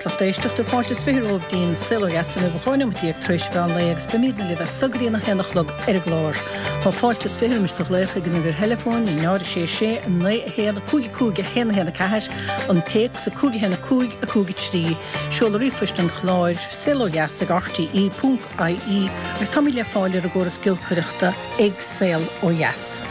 Dheas, lucht éisteachta, fáilte is 20 romhaibh dtí'n Saol Ó Dheas inniu, 12 nóimeat tar éis mheán lae agus beimídne libh as so go dtí an 1 a chlog ar an gclár. Tá fáilte is 20 roimis do ghlaoch ag an uimhir theileafóin, 0 6 6 9 1 5 5 1 1 4, an téacs 5 1 5 5 3, seoladh ríomhphoist an chláir, saolodheas ag rte ponc ie, agus táimid le fáil ar an gcóras giolcaireachta ag Saol Ó Dheas.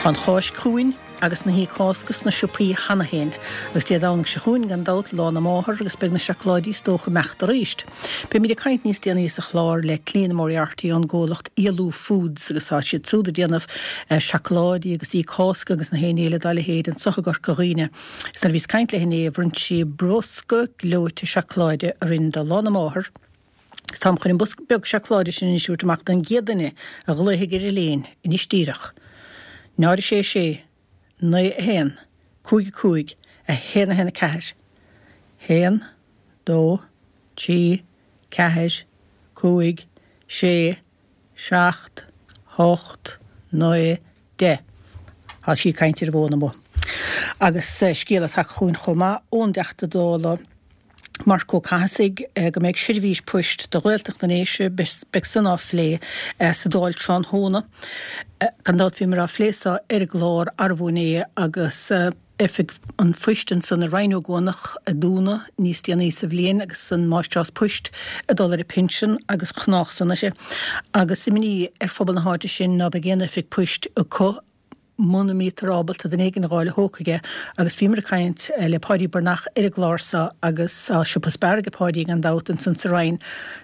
Tá an Cháisc chugainn. Agus na hoíche Cásca sna siopaí cheana féin. Agus Dé Domhnaigh seo chugainn, gan dabht, Lá na Máthar agus beidh na seacláidí is dócha ag imeacht arís. Beimid ag caint níos déanaí sa chlár le Clíona Moriarty ón gcomhlacht Yalu Foods agus tá siad súd ag déanamh seacláidí agus oíche Cásca agus na haon ní eile dá leithéid anseo i gCorca Dhuibhne. Agus nuair a bhíos ag caint léi inné, bhronn sí bosca gleoite seacláide orainn do Lá na Máthar. Agus táim chun an bosca beag seacláide sin anois a thabhairt amach don gcéad duine a ghlaofaidh ar an líne anois díreach. 0 6 6 9 1 5 5 1 1 4 1 2 3 4 5 6 7 8 9 10. Tá sí ag caint ar an bhfón amuigh. Agus scéala tagtha chugainn chomh maith ón dTeachta Dála Marc Ó Cathasaigh go mbeidh seirbhís poist do Ghaeltacht na nDéise, beidh san á phlé sa Dáil tráthnóna. Gan dabht bhíomar á phlé so ar an gclár arbú inné agus oifig an phoist ansan i Rinn Ó gCuanach a dúnadh níos déanaí sa bhliain agus an máistreás poist ag dul ar a pinsean agus gnách san uirthi agus imní ar phobal na háite sin ná beidh aon oifig poist acu muna mbítear ábalta duine éigin a dh'fháil a thógfaidh é agus bhíomar ag caint le Páidí Breathnach ar an gclár so agus tá siopa Spar ag Páidí gan dabht ansan sa Rinn.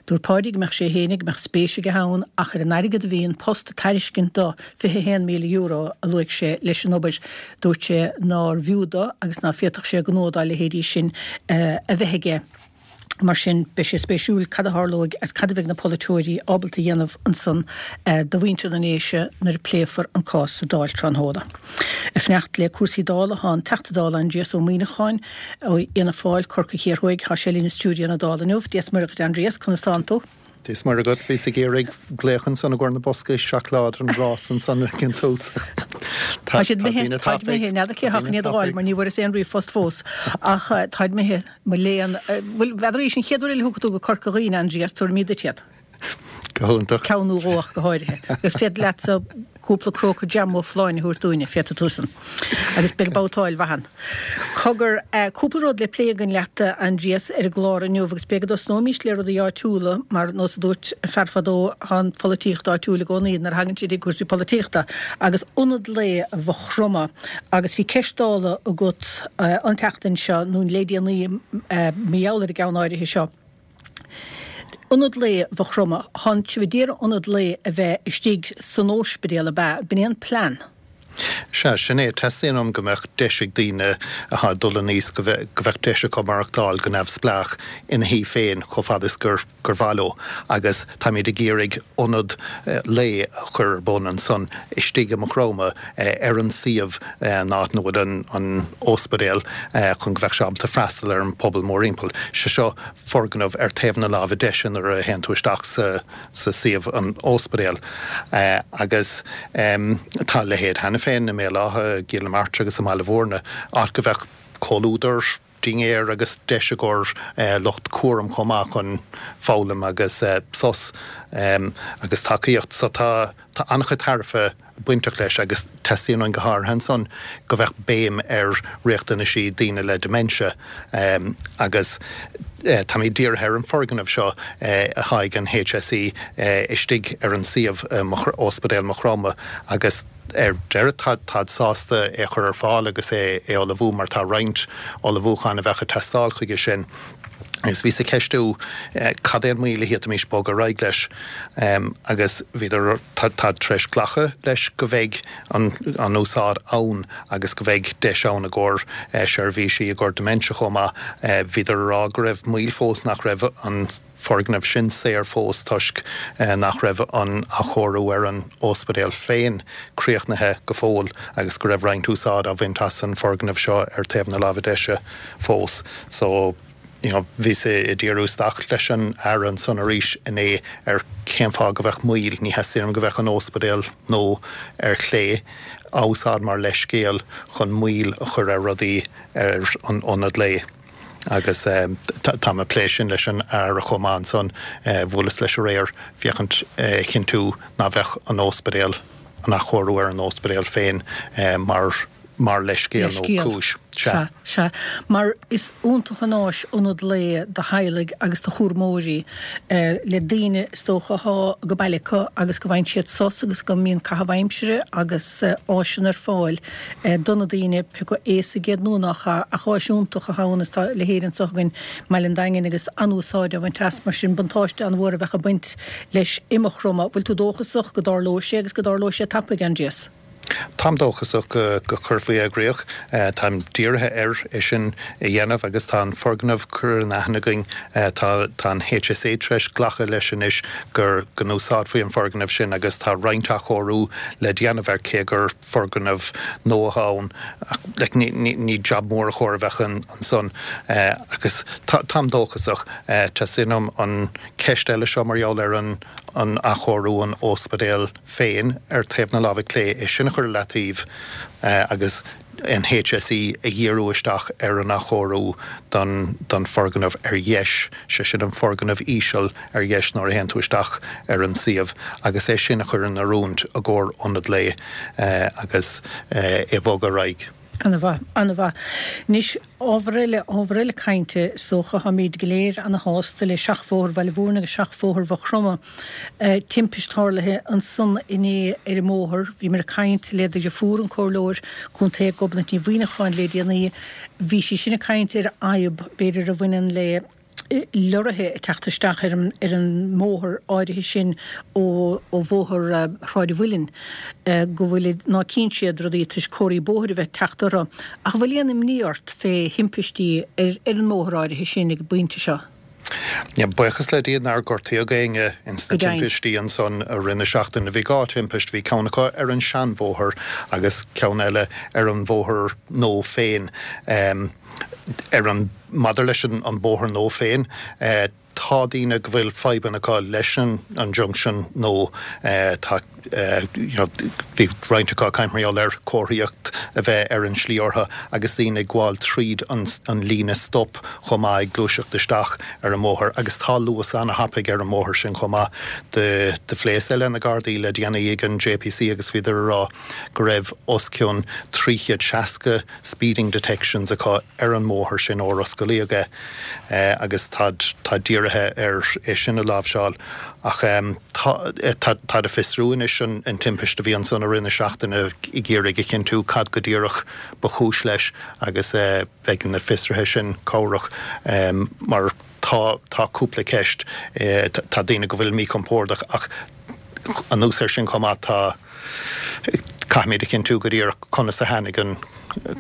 Dúirt Páidí go mbeadh sé fhéinig, go mbeadh spéis aige ann ach ar an airgead a bhí An Post ag tairiscint do, €21,000 a luaigh sé leis an obair, dúirt sé nár bhfiú do agus ná féadfadh sé gnó dá leithéidí sin a bheith aige. Mar sin, beidh sé spéisiúil cad a tharlóidh agus cad a bheidh na polaiteoirí ábalta a dhéanamh ansan do mhuintir na nDéise nuair a pléifear an cás sa Dáil tráthnóna. Ag fanacht le cúrsaí Dála tá an Teachta Dála Aindrias Ó Muimhneacháin ó Fhianna Fáil, Corcaigh Thiar Thuaidh. Tá sé linn i stiúideo na Dála inniu. Dia 's Muire dhuit Aindrias, conas tánn tú? Dia 's Muire dhuit, bhíos ag iarraidh glaoch ansan i gcomhair na boscaí seacláide an rás ansan ag an tús ach tá daoine tapaidh. Táid imithe, n'fheadar cé atá chun iad a dh'fháil mar ní bhfuaireas aon ríomhphost fós ach táid imithe, mo léan. Bhuel, n'fheadar arís an chéad uair eile a thiocfaidh tú go Corca Dhuibhne, Aindrias, tabharfaimid duit iad. Go hiontach. Ceann nó dhó ach go háirithe. Agus féadfaidh leatsa cúpla cróca jam ó Phláine a thabhairt dúinne, féadfaidh tú san. Agus beidh babhtáil mhaith ann. Cogar, cúpla rud le plé againn leat, a Aindrias, ar an gclár inniu, agus b'fhéidir go dtosnóimís le rudaí áitiúla, mar nós a dúirt fear fadó, tá an pholaitíocht áitiúil i gcónaí nuair a thagann sé ag cúrsaí polaitíochta, agus Ionad Lae Mhaigh Chromtha. Agus bhí ceist Dála agat an tseachtain seo, nó le déanaí, mar gheall ar an gceann áirithe seo. Ionad Lae Mhaigh Chromtha, Tánn sibh a d'iarraidh Ionad Lae a bheith istigh san óispidéal ab ea? B'in é an plean? Sea, sin é. Teastaíonn uaim go mbeadh deis ag daoine atá ag dul in aois go mbeadh deis acu maireachtáil go neamhspleách ina thigh féin chomh fada is gur mhaith leo agus táimid ag iarraidh ionad lae a chur ar bun ansan istigh i Maigh Chromtha ar an suíomh an áit ina bhfuil an óispidéal chun go mbeadh sé ábalta freastal ar an pobal mórthimpeall. Sé seo foirgneamh ar taobh na láimhe deise nuair a théann tú isteach sa suíomh an óispidéal agus tá a leithéid cheana féin i mBéal Átha, i gCill na Martra agus i mBaile Bhúirne, áit go mbeadh comhluadar, dinnéar agus deis i gcomhair lucht cúraim chomh maith chun foghlaim agus sos agus tacaíocht. So tá an-chuid tairbhe bainteach leis agus teastaíonn uainn go háirithe ansan go mbeadh béim ar riachtanaisí daoine le dementia agus táimid dírithe ar an foirgneamh seo atá ag an HSE istigh ar an suíomh Ospidéal Maigh Chromtha agus ar deireadh táid sásta é a chur ar fáil agus é a ullmhú mar tá roinnt ullmhúchán a bheadh ag teastáil chuige sin. Agus bhíos ag ceistiú cad é an moill a d'fhéadfaimis bogadh ar aghaidh leis agus bhíodar, táid tar éis glacadh leis go mbeidh an úsáid ann agus go mbeidh deis ann i gcomhair seirbhísí i gcomhair dementia chomh maith. Bhíodar ag rá go raibh moill fós nach raibh an foirgneamh sin saor fós toisc nach raibh an athchóiriú ar an óispidéal féin críochnaithe go fóill agus go raibh roinnt úsáid á bhaint as an foirgneamh seo ar taobh na láimhe deise fós. So, you know, bhíos ag díriú isteach leis an Aire ansan arís inné ar cén fáth go bheadh moill, ní theastaíonn uaim go bheadh an óispidéal nó ar chlé á úsáid mar leithscéal chun moill a chur ar rudaí ar an ionad lae. Agus táim ag plé sin leis an Aire chomh maith ansan, bhuaileas leis aréir féachaint a chinntiú ná bheadh an óspidéal, an athchóiriú ar an óspidéal féin mar mar leithscéal nó cúis. Sea. Sea. Mar is iontach an áis ionad lae do theaghlaigh agus do chúramóirí, le daoine is dócha athá go baile acu agus go bhfaigheann siad sos agus go mbíonn caitheamh aimsire agus áiseanna ar fáil do na daoine, pé acu aosaigh iad nó nach ea, ach áis iontach athá ann is tá a leithéid anseo againn i mBaile an Daingin agus an-úsáid á bhaint as, mar sin buntáiste an-mhór a bheadh ag baint leis i Maigh Chromtha. Bhfuil tú dóchasach go dtarlóidh sé agus go dtarlóidh sé tapaidh, Aindrias? Táim dóchasach go gcuirfí i gcrích. Táim dírithe ar é sin a dhéanamh agus tá an foirgneamh curtha in aithne againn. Tá tá an HSA tar éis glacadh leis anois gur go n-úsáidfí an foirgneamh sin agus tá roinnt athchóiriú le déanamh air cé gur foirgneamh nua atá ann. Like ní ní ní jab mór a chóir a bheith ansan agus tá táim dóchasach. Teastaíonn uaim an ceist eile seo mar gheall ar an an athchóiriú an óspidéal féin ar taobh na láimhe clé, é sin a chur i leataobh agus an HSE a dhíriú isteach ar an athchóiriú don don foirgneamh ar dheis, sé sin an foirgneamh íseal ar dheis nuair a théann tú isteach ar an suíomh agus é sin a chur in oiriúint i gcomhair ionad lae agus é a bhogadh ar aghaidh. Ana-mhaith, ana-mhaith. Anois, ábhar eile, ábhar eile cainte, is dócha, táimid go léir ana-shásta le Seachbhóthar Bhaile Mhúirne agus Seachbhóthar Mhaigh Chromtha. Timpist tarlaithe ansan inné ar an mbóthar. Bhíomar ag caint le do dhriofúr, an Comhairleoir Contae Gobnait Ní Mhuineacháin le déanaí. Bhí sí sin ag caint ar fhadhb, b'fhéidir, a bhaineann le. leoraithe ag teacht isteach ar an ar an mbóthar áirithe sin ó ó bhóthar Shráid an Mhuilinn go bhfuilid ná cíonn siad rudaí toisc comharthaí bóthair a bheith ag teacht orthu. Ach an bhfuil aon imní ort fé thimpistí ar ar an mbóthar áirithe sin ag an bpointe seo? Buíochas le Dia nár gortaíodh éinne ins na Go deimhin. timpistí ansan i rith na seachtaine. Bhí 2 thimpist, bhí ceann acu ar an seanbhóthar agus ceann eile ar an bhóthar nua féin. Ar an, maidir leis an bóthar nua féin, tá daoine go bhfuil fadhbanna acu leis an junction nua. Tá, you know, bhí roinnt acu ag caint mar gheall ar comharthaíocht a bheith ar an slí orthu agus daoine ag gabháil tríd an líne stop chomh maith ag gluaiseacht isteach ar an mbóthar agus tá luas ana-thapaidh ar an mbóthar sin chomh maith. Do phléas le na Gardaí le déanaí ag an JPC agus bhíodar ag rá go raibh os cionn 360 speeding detections acu ar an mbóthar sin ór osclaíodh é agus táid táid dírithe ar é sin a láimhseáil ach tá táid ag fiosrú anois an an timpist a bhí ansan i rith na seachtaine ag iarraidh a chinntiú cad go díreach ba chúis leis agus beidh na fiosruithe sin cabhrach mar tá tá cúpla ceist tá daoine go bhfuil míchompordach ach anuas air sin chomh maith tá Caithfimid a chinntiú go díreach conas a tháinig an,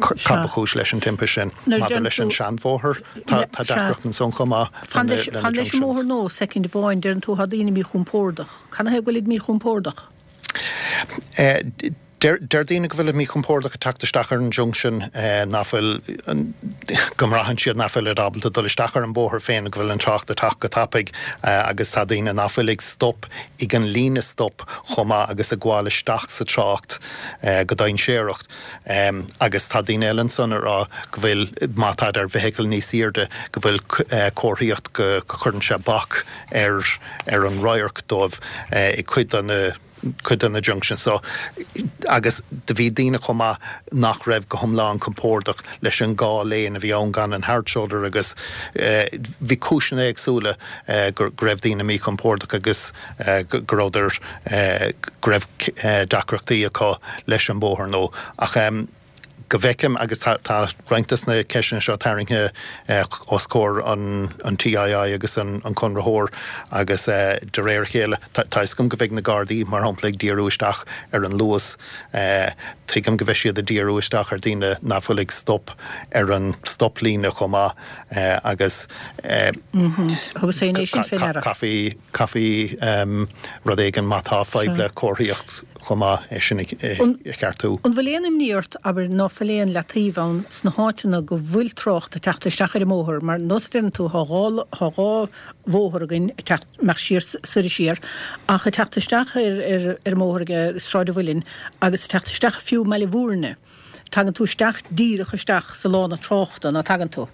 cad ba chúis leis an timpist sin. Maidir leis an seanbhóthar, tá deacracht ansan chomh maith Fan leis an mbóthar nua soicind amháin, deireann tú tá daoine míchompordach. Cad ina thaobh go bhfuilid míchompordach? Deir daoine go bhfuilid míchompordach ag teacht isteach ar an junction, nach bhfuil, go mbraitheann siad nach bhfuilid ábalta dul isteach ar an bóthar féin, go bhfuil an trácht ag teacht go tapaidh agus tá daoine nach bhfuil ag stop ag an líne stop chomh maith agus ag gabháil isteach sa trácht go dainséarach. Agus tá daoine eile ansan ag rá go bhfuil, má táid ar bhfeithicil níos airde, go bhfuil comharthaíocht go gcuireann sé bac ar ar an radharc dóibh ag cuid de na cuid de na junctions so agus do bhí daoine chomh maith nach raibh go hiomlán compordach leis an dhá lane a bhí ann gan an hard shoulder agus bhí cúiseanna éagsúla go raibh daoine míchompordach agus go rabhadar go raibh deacrachtaí acu leis an bóthar nua ach go bhfeicim, agus tá roinnt de na ceisteanna seo tarraingthe os comhair an TII agus an conraitheoir agus de réir a chéile, tá fhios agam go bheidh na Gardaí, mar shampla, ag díriú isteach ar an luas. Tuigim go bheidh siad ag díriú isteach ar daoine nach bhfuil ag stop ar an stop-líne chomh maith agus caithfí, caithfí rud éigin má tá fadhb le comharthaíocht. chomh maith é sin a cheartú. An bhfuil aon imní ort, abair, ná fuil aon leataobh ann sna háiteanna go bhfuil trácht ag teacht isteach ar an mbóthar, mar nós a deireann tú, thá dhá, thá dhá bhóthar againn ag teacht, amach siar, soir is siar, ach ag teacht isteach ar, ar, ar an mbóthar ag Sráid an Mhuilinn agus ag teacht isteach fiú i mBaile Mhúirne, tagann tú isteach díreach isteach sa lána tráchta, ná tagann tú?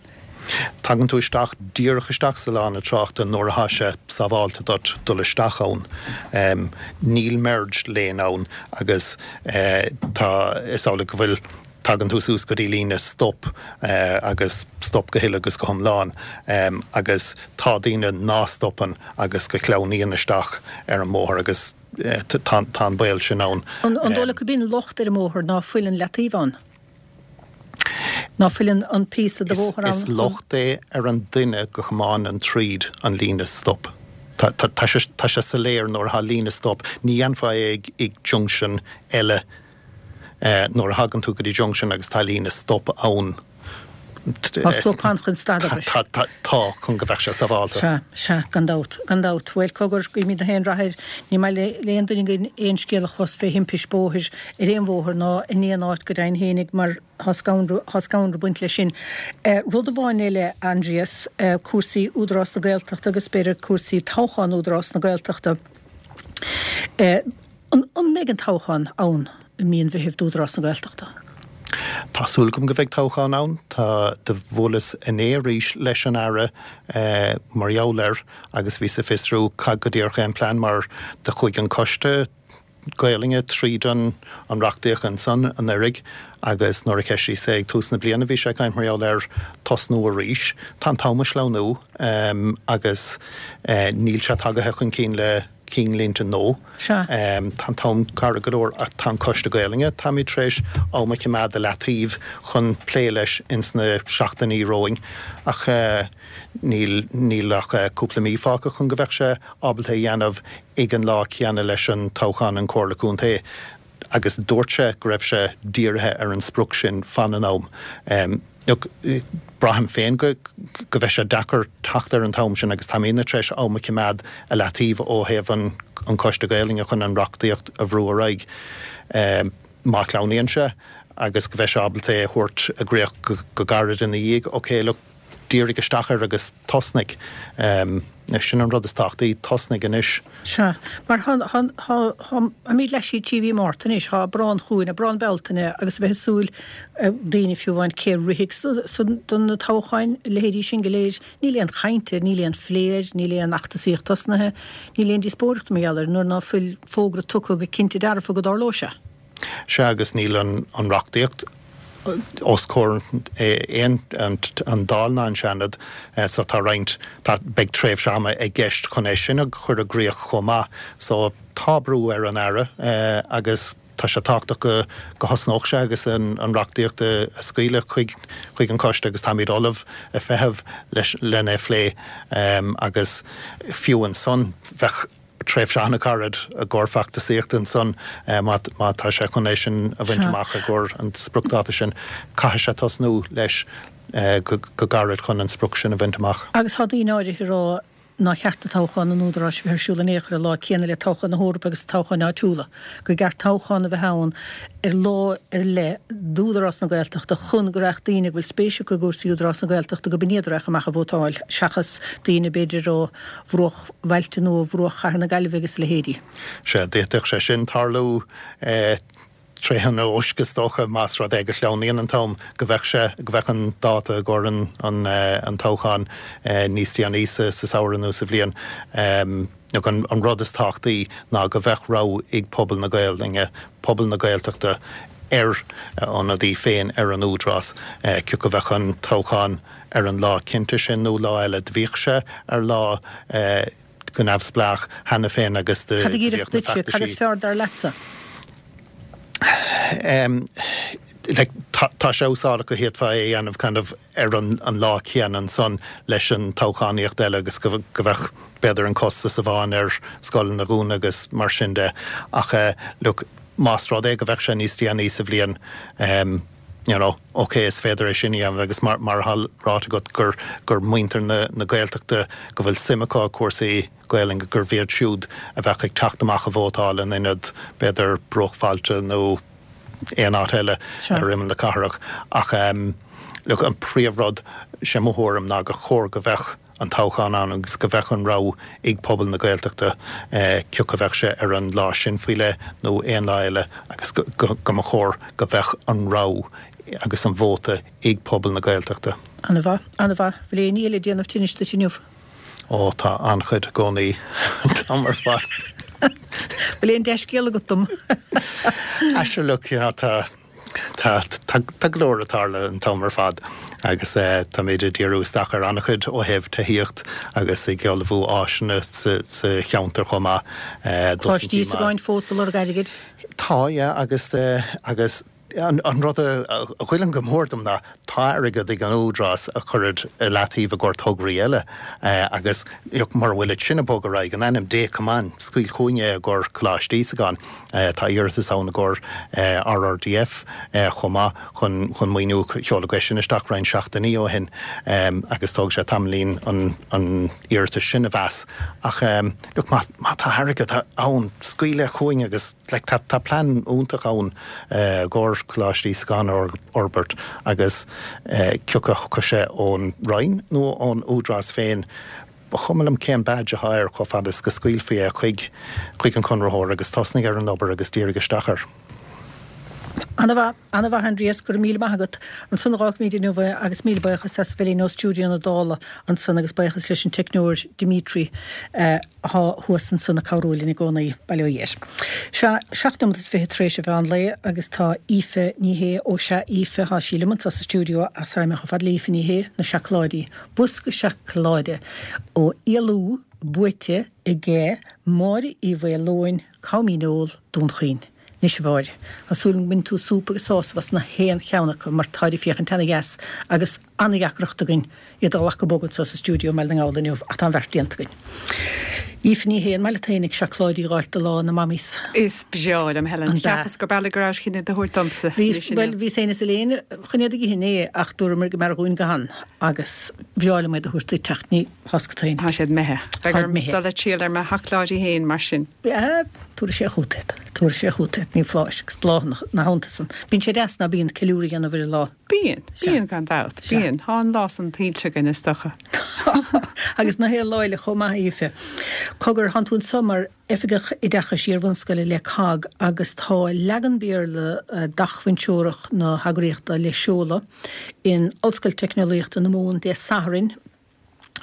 Tagann tú isteach, díreach isteach sa lána tráchta nuair athá sé sábhálta duit dul isteach ann. Níl merge lane ann agus tá, is amhlaidh go bhfuil, tagann tú suas go dtí líne stop agus stop go huile agus go hiomlán agus tá daoine ná stopann agus go sleamhnaíonn isteach ar an mbóthar agus tá an baol sin ann. An dóigh leat gurb in locht ar an mbóthar ná fuil an leataobh ann? Ná fuil an píosa de bhóthar ann chun. Is locht é ar an duine go thiomáineann tríd an líne stop. Tá sé soiléir nuair atá líne stop, ní dhéanfá é ag junction eile nuair a thagann tú go dtí junction agus tá líne stop ann. Tá stop ann chun stad abair. Tá, tá, tá, chun go bheadh sé sábhálta. Sea, sea, gan dabht, gan dabht. Bhuel, cogar, guímid na haon rath air. Ní maith le aon duine againn aon scéal a chlos fé thimpist bóthair ar aon bhóthar ná in aon áit go deimhin fhéinig mar tá scanradh, tá scanradh ag baint leis sin. Rud amháin eile, Aindrias, cúrsaí Údarás na Gaeltachta agus b'fhéidir cúrsaí toghchán Údarás na Gaeltachta. An mbeidh an toghchán ann i mí an Mheithimh d'Údarás na Gaeltachta? Tá súil agam go mbeidh toghchán ann. Tá, do bhuaileas inné arís leis an Aire mar gheall air agus bhíos ag fiosrú cad go díreach é an plean mar do chuaigh an coiste Gaolainne tríd an reachtaíocht ansan anuiridh agus nuair a cheistíos é ag tús na bliana bhí sé ag caint mar gheall ar tosnú arís. Tá an t-am ag sleamhnú agus níl sé tagaithe chun cinn le cinnlínte nó. Sea. Tá an t-am gairid go leor ach tá an Coiste Gaolainne, táimid tar éis am a choimeád i leataobh chun plé leis ins na seachtainí romhainn ach níl, níl ach cúpla mí fágtha chun go bheadh sé ábalta é a dhéanamh ag an lá céanna leis an toghchán an Comhairle Contae agus dúirt sé go raibh sé dírithe ar an sprioc sin fan an am. Look, braithim féin go go bheidh sé deacair teacht ar an t-am sin agus táimidne tar éis am a choimeád i leataobh ó thaobh an an Coiste Gaolainne chun an reachtaíocht a bhrú ar aghaidh. Má shleamhnaíonn sé agus go bheidh sé ábalta é a thabhairt i gcríoch go go gairid ina dhiaidh, ok, look, dírigh isteach air agus tosnaigh. Sin an rud is tábhachtaí, tosnaigh anois. Sea. Mar tá, tá, tá, táimid leath i ndiaidh mhí Márta anois, tá Aibreán chugainn, Aibreán, Bealtaine agus a bheith ag súil, daoine fiú amháin cé a rithfidh do na toghcháin, a leithéidí sin go léir, níl aon chaint air, níl aon phlé air, níl aon fheachtasaíocht tosnaithe, níl aon díospóireacht mar gheall air nuair ná fuil fógra tugtha go cinnte dearfa go dtarlóidh sé. Sea, agus níl an reachtaíocht os comhair aon an Dáil ná an Seanad so tá roinnt, tá, beidh tréimhse ama i gceist chun é sin a chur i gcríoch chomh maith. So tá brú ar an Aire agus tá sé tábhachtach go go thosnódh sé agus an reachtaíocht a scaoileadh chuig chuig an Coiste agus táimid ullamh ag feitheamh leis lena phlé agus fiú ansan bheadh tréimhse an-ghairid i gcomhair feachtasaíochta ansan má tá sé chun é sin a bhaint amach i gcomhair an spriocdháta sin. Caithfidh sé tosnú leis go gairid chun an sprioc sin a bhaint amach. Agus tá daoine áirithe ag rá nár cheart do toghchán an Údaráis a bheith ar siúl in aon chor an lá céanna le toghchán na hEorpa agus toghcháin áitiúla, go gceart toghchán a bheith ann ar lá ar leith d'Údarás na Gaeltachta chun go raghadh daoine a bhfuil spéis acu i gcúrsaí Údarás na Gaeltachta go b'in iad a raghadh amach ag vótáil seachas daoine b'fhéidir ó bhruach bhailte nó ó bhruach chathair na Gaillimhe agus a leithéidí. Sea, d'fhéadfadh sé sin tarlú tré an eoisc is dócha, más rud é go sleamhnaíonn an t-am, go bheadh sé, go bheadh an dáta i gcomhair an an toghcháin níos déanaí sa samhradh nó sa bhliain. Nó an rud is tábhachtaí ná go bheadh rogha ag pobal na Gaelainne, pobal na Gaeltachta ar a ionadaí féin ar an Údarás, cé acu bheadh an toghchán ar an lá cinnte sin nó lá eile. Do bhíodh sé ar lá go neamhspleách cheana féin agus do Cad a bhíodh na feachtaisí. Cad is fearr dar leatsa? Like tá sé úsáideach go bhféadfá é a dhéanamh kind of ar an lá céanna ansan leis an toghchánaíocht eile agus go bheadh b'fhéidir an costas amháin ar scoileanna a dhúnadh agus mar sin de. Ach look, más rud é go bheadh sé níos déanaí sa bhliain, you know, ok, is féidir é sin a dhéanamh agus mar mar atá ráite agat gur gur muintir na na Gaeltachta go bhfuil suim acu i cúrsaí Gaelainne gurbh iad siúd a bheadh ag teacht amach a vótáil in ionad b'fhéidir bruachbhailte nó aon áit eile ar imeall na cathrach. Ach look, an príomhrud, sé mo thuairim ná gur chóir go bheadh an toghchán ann agus go bheadh an rogha ag pobal na Gaeltachta cé acu a bheadh sé ar an lá sin faoi leith nó aon lá eile agus go mba chóir go bheadh an rogha agus an vóta ag pobal na Gaeltachta. Ana-mhaith, ana-mhaith. Bhfuil aon ní eile ag déanamh tinnis duit inniu? Ó, tá an-chuid i gcónaí an t-am ar fad. Bhfuil aon dea-scéal agat dom? Ah sure look, you know, tá, tá, tá, tá go leor ag tarlú an t-am ar fad agus táimid ag díriú isteach ar an-chuid ó thaobh tithíocht agus ag ullmhú áiseanna sa, sa cheantar chomh maith. Coláiste Íosagáin fós ag lorg airgid? Tá, yeah, agus, agus An rud a ghoilleann go mór dom ná tá airgead ag an Údarás a chuirid i leataobh i gcomhair tograí eile agus mura bhfuil sin ag bogadh ar aghaidh, in ainm Dé come on, scaoil chugainn é i gcomhair Coláiste Íosagáin. Tá iarratas ann i gcomhair RRDF chomh maith chun chun maoiniú, sheoladh é sin isteach roinnt seachtainí ó shin agus tógfaidh sé tamaillín an an iarratas sin a mheas ach look má má tá airgead ann, scaoil é chugainn agus like tá tá plean iontach ann. i gcomhair Coláiste Íosagáin a fhorbairt agus cé acu a thiocfadh sé ón Roinn nó ón Údarás féin, ba chuma liom cén badge atá air chomh fada is go scaoilfí é chuig chuig an chonraitheoir agus tosnaigh ar an obair agus dírigh isteach air. Ana-mhaith, ana-mhaith Aindrias, go raibh míle maith agat. Ansan a dh'fhágfaimid inniu é agus míle buíochas as a bheith linn ó stiúideo na Dála ansan agus buíochas leis an teicneoir Dimitri. Athá thuas ansan ag cabhrú linn i gcónaí, bail ó Dhia air. Sea, 7 nóimeat is 20 tar éis an mheán lae agus tá Aoife Ní Shé, ó sea, Aoife, thá sí liom anso sa stiúideo ach sara mbeidh chomh fada le Aoife Ní Shé, na seacláidí, bosca seacláide ó Fhialú buaite aige Máire Uí Mhaoileoin, Com Dhíneol, Dún Chaoin. Anois a Mháire, tá súil agam go mbainfidh tú súp agus sásamh as na haon cheann acu mar táid ag féachaint ana-dheas agus ana-dheacracht againn iad a ghlacadh bog anseo sa stiúideo i mBaile na nGall inniu ach tá an bheart déanta againn. Aoife Ní Shé, an maith leat fhéinig seacláidí a dh'fháilt do lá na Mammies? Is breá liom, Helen. An b'ea? Cheapas gurb amhlaidh go rabhais chun iad a thabhairt domsa Bhíos, anois inniu. bhuel, bhíos féin is Elaine chun iad a dh'ithe inné ach dúramar go mb'fhearr dhúinn gan agus bhreá liom iad a thabhairt duit ach ní thá 's agat féin. Tá siad imithe. Beidh orm dul ag triall ar mo sheacláidí féin mar sin. Tabharfaidh sé chugat iad. Tabharfaidh sé chugat iad, ní foláir, agus bláthanna ina theannta san. Bíonn sé deas, ná bíonn, ceiliúradh a dhéanamh ar an lá. Bíonn, bíonn gan dabht, bíonn. Tá an lá san tuillte againn, is dócha. Agus na haon lá eile chomh maith, a Aoife. Cogar, thánn tú anso mar Oifigeach Oideachais Iar-bhunscoile le cogg agus tá leagan Béarla d'acmhainn treorach na heagraíochta le seoladh in Ollscoil Teicneolaíochta na Mumhan Dé Sathairn,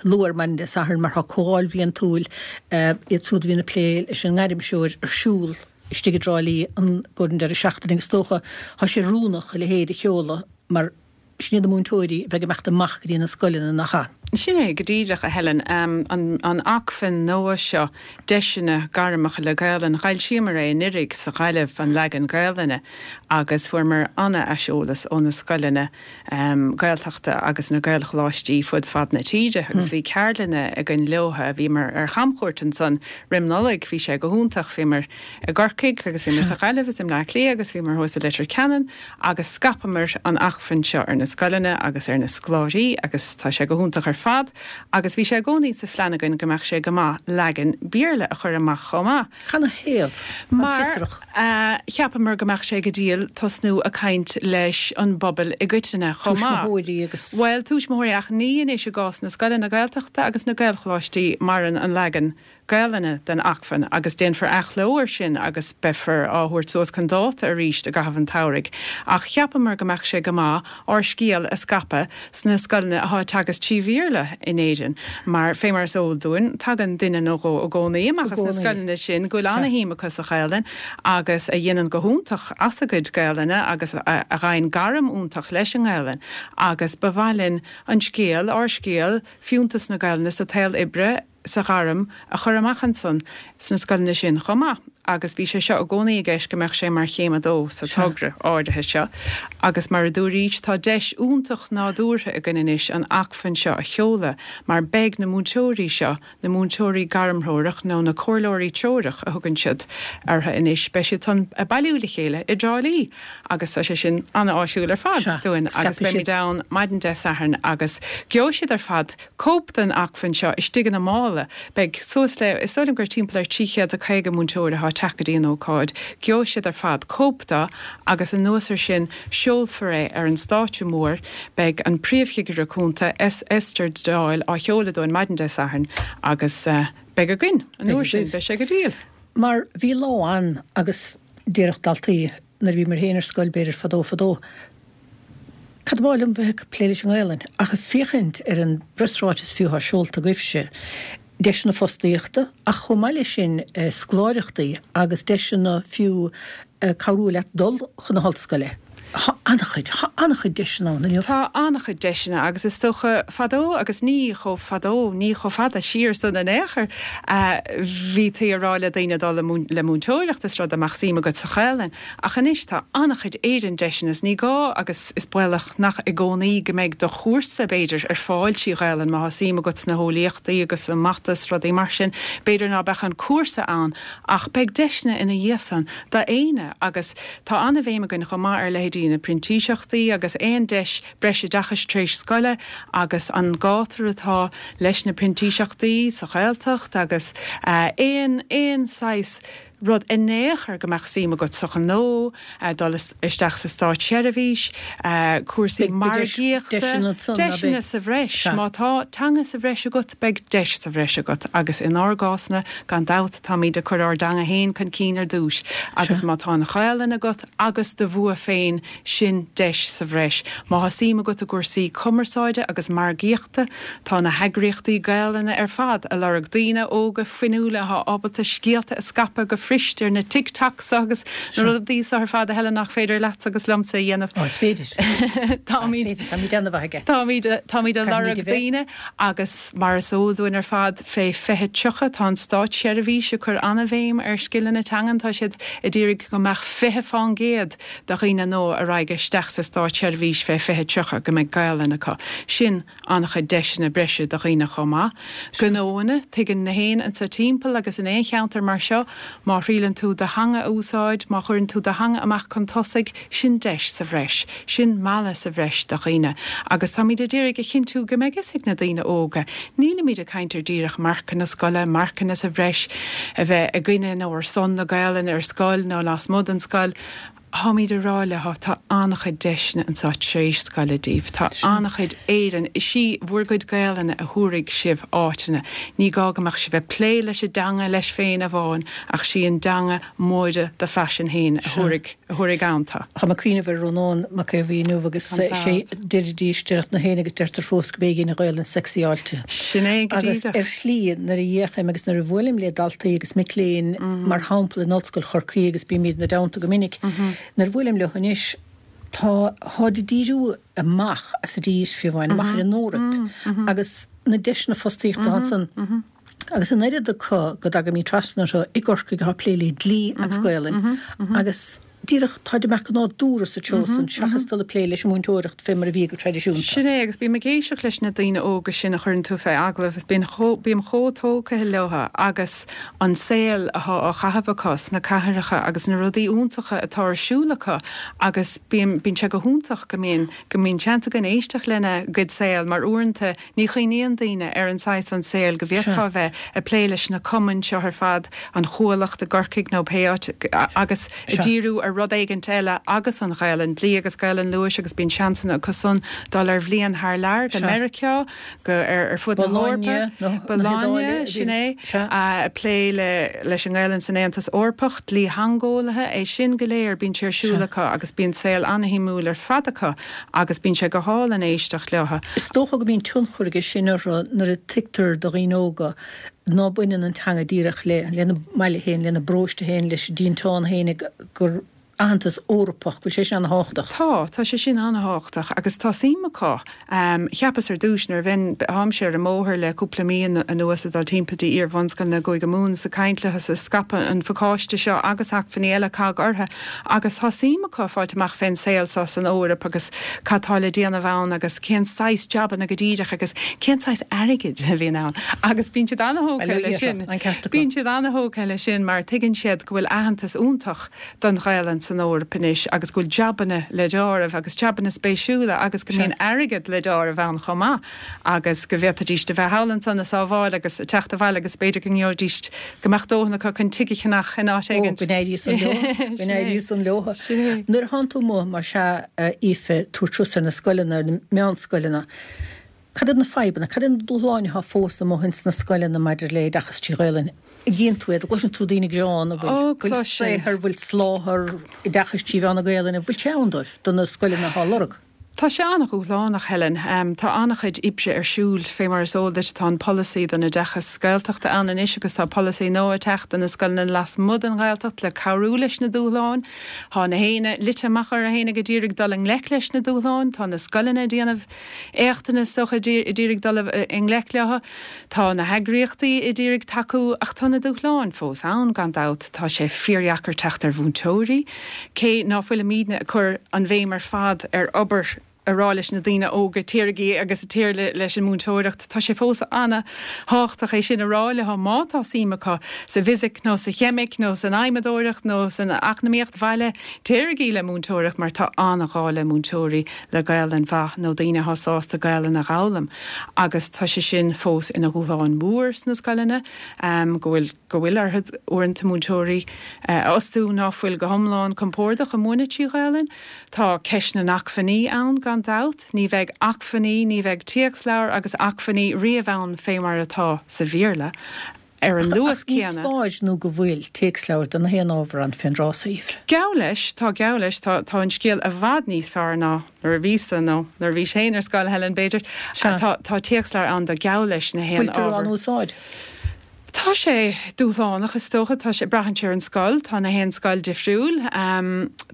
luath ar maidin Dé Sathairn mar tá comhdháil bhliantúil iad siúd a bhíonn ag plé leis an ngairmthreoir ar siúl istigh i dTrá Lí an gcomhair an deireadh seachtaine agus is dócha tá sé oiriúnach a leithéid a sheoladh mar sin iad na múinteoirí a bheidh ag imeacht amach go dtí na scoileanna nach ea? Sin é go díreach, a Helen. An acmhainn nua seo, Deiseanna Gairmeacha le Gaolainn, d'fhoilsíomar é anuiridh sa Ghaillimh, an leagan Gaolainne, agus fuaireamar an-aiseolas ó na scoileanna. Gaeltachta agus na Gaelcholáistí fud fad na tíre agus bhí ceardlanna againn leotha. Bhíomar ar chamchuairt ansan roim Nollaig, bhí sé go hiontach. Bhíomar i gCorcaigh agus bhíomar sa Ghaillimh is i mBleá Cliath agus bhíomar thuas i Leitir Ceanainn agus scaipeamar an acmhainn seo ar na scoileanna agus ar na scoláirí agus tá sé go hiontach ar fad agus bhí sé i gcónaí sa phlean againn go mbeadh sé go maith leagan Béarla a chur amach chomh maith. Canathaobh? Táim fiosrach. Mar cheapamar go mbeadh sé go diail tosnú ag caint leis an bpobal i gcoitinne chomh maith. Tuismitheoirí agus. Bhuel, tuismitheoirí ach ní anois i gcás na scoileanna Gaeltachta agus na Gaelcholáistí maireann an leagan Gaelainne den acmhainn agus déanfar athchló air sin agus beifear á thabhairt suas chun dáta arís i gcaitheamh an tsamhraidh. Ach cheapamar go mbeadh sé go maith ár scéal a scaipeadh sna scoileanna athá ag teagasc trí Bhéarla in Éirinn, mar fé mar is eol dúinn, tagann duine nó dhó i gcónaí amach as na scoileanna sin go bhfuil ana-shuim acu sa Ghaelainn agus a dhéanann go hiontach as a gcuid Gaelainne agus a fhaigheann gairm iontach leis an nGaelainn agus ba mhaith linn an scéal, ár scéal, fiúntas na Gaelainne sa tsaol oibre, sa ghairm a chur amach ansan sna scoileanna sin chomh maith agus bhí sé seo i gcónaí i gceist go mbeadh sé mar chéim a dó sa togra áirithe seo agus mar a dúraís tá deis iontach nádúrtha againn anois an acmhainn seo a sheoladh mar beidh na múinteoirí seo, na múinteoirí gairmthreorach nó na comhairleoirí treorach a thugann siad orthu anois, beidh siad san ag bailiú le chéile i dTrá Lí agus tá sé sin an-áisiúil ar fad dúinn agus beimid ann maidin Dé Sathairn agus gheobhaidh siad ar fad cóip den acmhainn seo istigh ina mála. Beidh suas le, is dóigh liom gur timpeall ar 350 múinteoir atá ag teacht go dtí an ócáid. Gheobhaidh siad ar fad cóip de agus anuas ar sin seolfar é ar an stáitse mór. Beidh an Príomhchigire Cúnta, Esther Doyle, á sheoladh dúinn maidin Dé Sathairn agus beidh againn an uair sin. Beidh sé go diail. Mar bhí lá ann agus déarfadh daltaí nuair a bhíomar féin ar scoil b'fhéidir fadó fadó. Cad ba mhaith liom bheith ag plé leis an nGaelainn? Ach ag féachaint ar an bpreasráiteas fiú atá seolta agaibhse, deiseanna fostaíochta ach chomh maith leis sin scoláireachtaí agus deiseanna fiú cabhrú leat dul chun na hollscoile. Tá an-chuid, tá an-chuid deiseanna ann inniu. Tá an-chuid deiseanna agus is dócha fadó agus ní chomh fadó, ní chomh fada siar san in aon chor, bhítí ag rá le daoine dul le múinteoireacht is rud a mbeadh suim agat sa Ghaelainn. Ach anois tá an-chuid Éireann deiseanna is ní gá agus is baolach nach i gcónaí go mbeidh do chúrsa, b'fhéidir, ar fáil trí Ghaelainn má tá suim agat sna heolaíochtaí agus sa mata is rudaí mar sin, b'fhéidir ná beadh an cúrsa ann ach beidh deiseanna ina dhiaidh san d'éinne agus tá an-bhéim againn chomh maith ar leithéidí na printíseachtaí agus aon deis breisoideachais tar éis scoile agus an gátar atá leis na printíseachtaí sa Ghaeltacht agus aon aon saghas rud in aon chor go mbeadh suim agat sa ghnó, dul isteach sa státseirbhís, cúrsaí margaíochta, deiseanna sa bhreis. Má tá teanga sa bhreis agat, beidh deis sa bhreis agat agus inár gcásna, gan dabht, táimid ag cur ár dteanga féin chun cinn ar dtús agus má tá an Ghaelainn agat agus do bhua féin, Sin deis sa bhreis. Má thá suim agat i gcúrsaí cumarsáide agus margaíochta, tá na heagraíochtaí Gaelainne ar fad a lorg daoine óga fuinniúla athá ábalta scéalta a scaipeadh go fuirist ar na Tik Toks agus na rudaí so ar fad a Helen nach féidir leatsa agus liomsa a dhéanamh. Ó, is féidir. Táimid, Is féidir, táimid an-mhaith aige. Táimid, táimid a lorg daoine agus mar is eol dúinn ar fad fé 2030 tá an státseirbhís ag cur an-bhéim ar scileanna teangan, tá siad a d'iarraidh go mbeadh 20 fán gcéad de dhaoine nua a raghaidh isteach sa státseirbhís fé 2030 go mbeidh Gaelainn acu. Sin an-chuid deiseanna breise do dhaoine chomh maith. Gnóanna, tuigeann na héinne anso timpeall agus in aon cheantar mar seo, má thriaileann tú do theanga a úsáid, má chuireann tú do theanga amach chun tosaigh, sin deis sa bhreis. Sin mealladh sa bhreis do dhaoine. Agus táimid a d'iarraidh a chinntiú go mbeidh fhios ag na daoine óga, nílimid ag caint ar díreach marcanna scoile, marcanna sa bhreis, a bheith i gcoinne nó ar son na Gaelainne ar scoil nó lasmuigh den scoil. Táimid ag rá leo, tá an-chuid deiseanna anseo tar éis scoile daoibh. Tá an-chuid Éireann. Is í bhur gcuid Gaelainne a thabharfaidh sibh áiteanna. Ní gá go mbeadh sibh ag plé leis an dteanga leis féin amháin ach sí an dteanga móide do phaisean féin a thabharfaidh a thabharfaidh ann tú. Tá mé ag cuimhneamh ar Rónán Mac Aodha Bhuí inniu agus sé deiridís, deireadh na héinne agus deirtear fós go b'éigean an Ghaelainn sexyáilte. Sin é go Agus díreach. ar shlí nuair a fhéachaim agus nuair a bhuailim le daltaí agus mic léinn mar shampla in Ollscoil Chorcaí agus bímid ina dteannta go minic, nuair a bhuailim leo anois tá, táid ag díriú amach as an dtír fiú amháin, amach ar an Eoraip agus na deiseanna fostaíochta atá ansan. Agus an oiread acu go dtagaimid trasna orthu i gCorcaigh atá ag plé le dlí agus Gaolainn agus díreach táid ag imeacht go nádúrtha sa treo san seachas dul ag plé leis an múinteoireacht fé mar a bhí go traidisiúnta. Sin é, agus bím ag éisteacht leis na daoine óga sin a chuireann tú fé agallamh agus bíonn chomh, bím chomh tógtha leo agus an saol athá á chaitheamh acu sna cathracha agus na rudaí iontacha atá ar siúl acu agus bím, bíonn sé go hiontach go mbíonn, go mbíonn seans againn éisteacht lena gcuid saol mar uaireanta Ní chuimhníonn daoine ar an saghas an saol go bhféadfá a bheith ag plé leis na cumainn seo ar fad, an Chuallacht i gCorcaigh nó pé áit, agus ag díriú ar rud éigint eile agus an Ghaelainn, dlí agus Gaelainn luais agus bíonn seansanna acu san dul ar bhliain thar lear go Meiriceá, go ar fud na hEorpa, Bologna, sin é, ag plé leis an nGaelainn san Aontas Eorpach, dlítheangeolaithe, é sin go léir, bíonn sé ar siúl acu agus bíonn saol an-shuimiúil ar fad acu. Agus bíonn sé go hálainn éisteacht leo. Is dócha go mbíonn tionchar aige sin orthu nuair a tuigtear do dhaoine óga ná baineann an teanga díreach le lena mbaile féin, lena bparóiste féin, leis an dtinteán féin, gur aitheantas Eorpach, go bhfuil sé sin ana-thábhachtach. Tá, tá sé sin ana-thábhachtach agus tá suim acu. Cheapas ar dtúis nuair a bheinn, táimse ar an mbóthar le cúpla mí anuas ag dul timpeall dtí iar-bhunscoileanna i gCúige Mumhan is ag caint leo is ag scaipeadh an phacáiste seo agus acmhainní eile cogg orthu Agus tá suim acu fáilt amach fén saol so san Eoraip agus cad tá le déanamh ann agus cén saghas jabanna go díreach agus cén saghas airgid a bhíonn ann. Agus bíonn siad ana-thógtha leis sin. Bíonn siad ana-thógtha leis sin mar tuigeann siad go bhfuil aitheantas iontach don Ghaelainn san Eoraip anois agus go bhfuil jabanna le deáramh agus jabanna spéisiúla agus go mbíonn airgead le deáramh ann chomh maith. agus go bhféadfaidíst a bheith thall ansan a' sábháil agus a' teacht abhaile agus b'fhéidir go ngeobhaidíst, go mbeadh dóthain acu chun tigh a cheannach in áit Ó, éigint. go n-éirí san leo, go n-éirí san leo. Sin é. Nuair a thánn tú amuigh, mar sea, a Aoife, tabhairt suas ar na scoileanna, ar na meánscoileanna, cad iad na fadhbanna, cad iad na dúshláin atá fós amuigh ins na scoileanna maidir le oideachas trí Ghaelainn? An gcíonn tú iad, an gcloiseann tú daoine ag gearán, an bhfuil, Ó, bhfuil cloisim. saothar, bhfuil soláthar oideachais trí mheán na Gaelainne, bhfuil sé ann dóibh, do na scoileanna atá á lorg? Tá sé an-dhúshlánach, Helen. Tá an-chuid oibre ar siúl. Fé mar is eol duit, tá an polasaí don oideachas Gaeltachta ann anois agus tá polasaí nua ag teacht do na scoileanna lasmuigh den Ghaeltacht le cabhrú leis na dúshláin. Tá na héinne luite amach orthu fhéinig a d'iarraidh dul i ngleic leis na dúshláin. Tá na scoileanna ag déanamh éachtanna, is dócha, a d'iarraidh dul i ngleic leo. Tá na heagraíochtaí a d'iarraidh tacú ach tá na dúshláin fós ann, gan dabht. Tá sé fíordheacair teacht ar mhúinteoirí. Cé ná fuilimídne ag cur an bhéim ar fad ar obair a rá leis na daoine óga, téirigí agus téir leis an múinteoireacht, tá sé fós ana-thábhachtach é sin a rá leo má tá suim acu sa bhfisic nó sa cheimic nó san adhmadóireacht nó san eacnamaíocht bhaile, téirigí le múinteoireacht mar tá an-ghá le múinteoirí le Gaelainn mhaith nó daoine atá sásta Gaelainn a dh'fhoghlaim agus tá sé sin fós ina dhúshlán mór sna scoileanna go bhfuil go bhfuil orthu uaireanta múinteoirí a fhostú ná fuil go hiomlán compordach ag múineadh trí Ghaelainn. Tá ceist na n-acmhainní ann gan dabht. Ní bheidh acmhainní, ní bheidh téacsleabhair agus acmhainní riamh ann fé mar atá sa Bhéarla ar an luas Ach ní céanna. foláir nó go bhfuil téacsleabhair do na haon ábhar ann fén dtráth so, Aoife. Geall leis, tá geall leis, tá tá an scéal i bhfad níos fearr ná nuair a bhíos-sa nó nuair a bhís féin ar scoil, Helen, b'fhéidir. Sea. Tá tá téacsleabhair ann do geall leis na haon Fuiltear á ábhar. n-úsáid? Tá sé dúshlánach, is dócha. Tá sé, braitheann sé ar an scoil. Tá na haon scoil difriúil.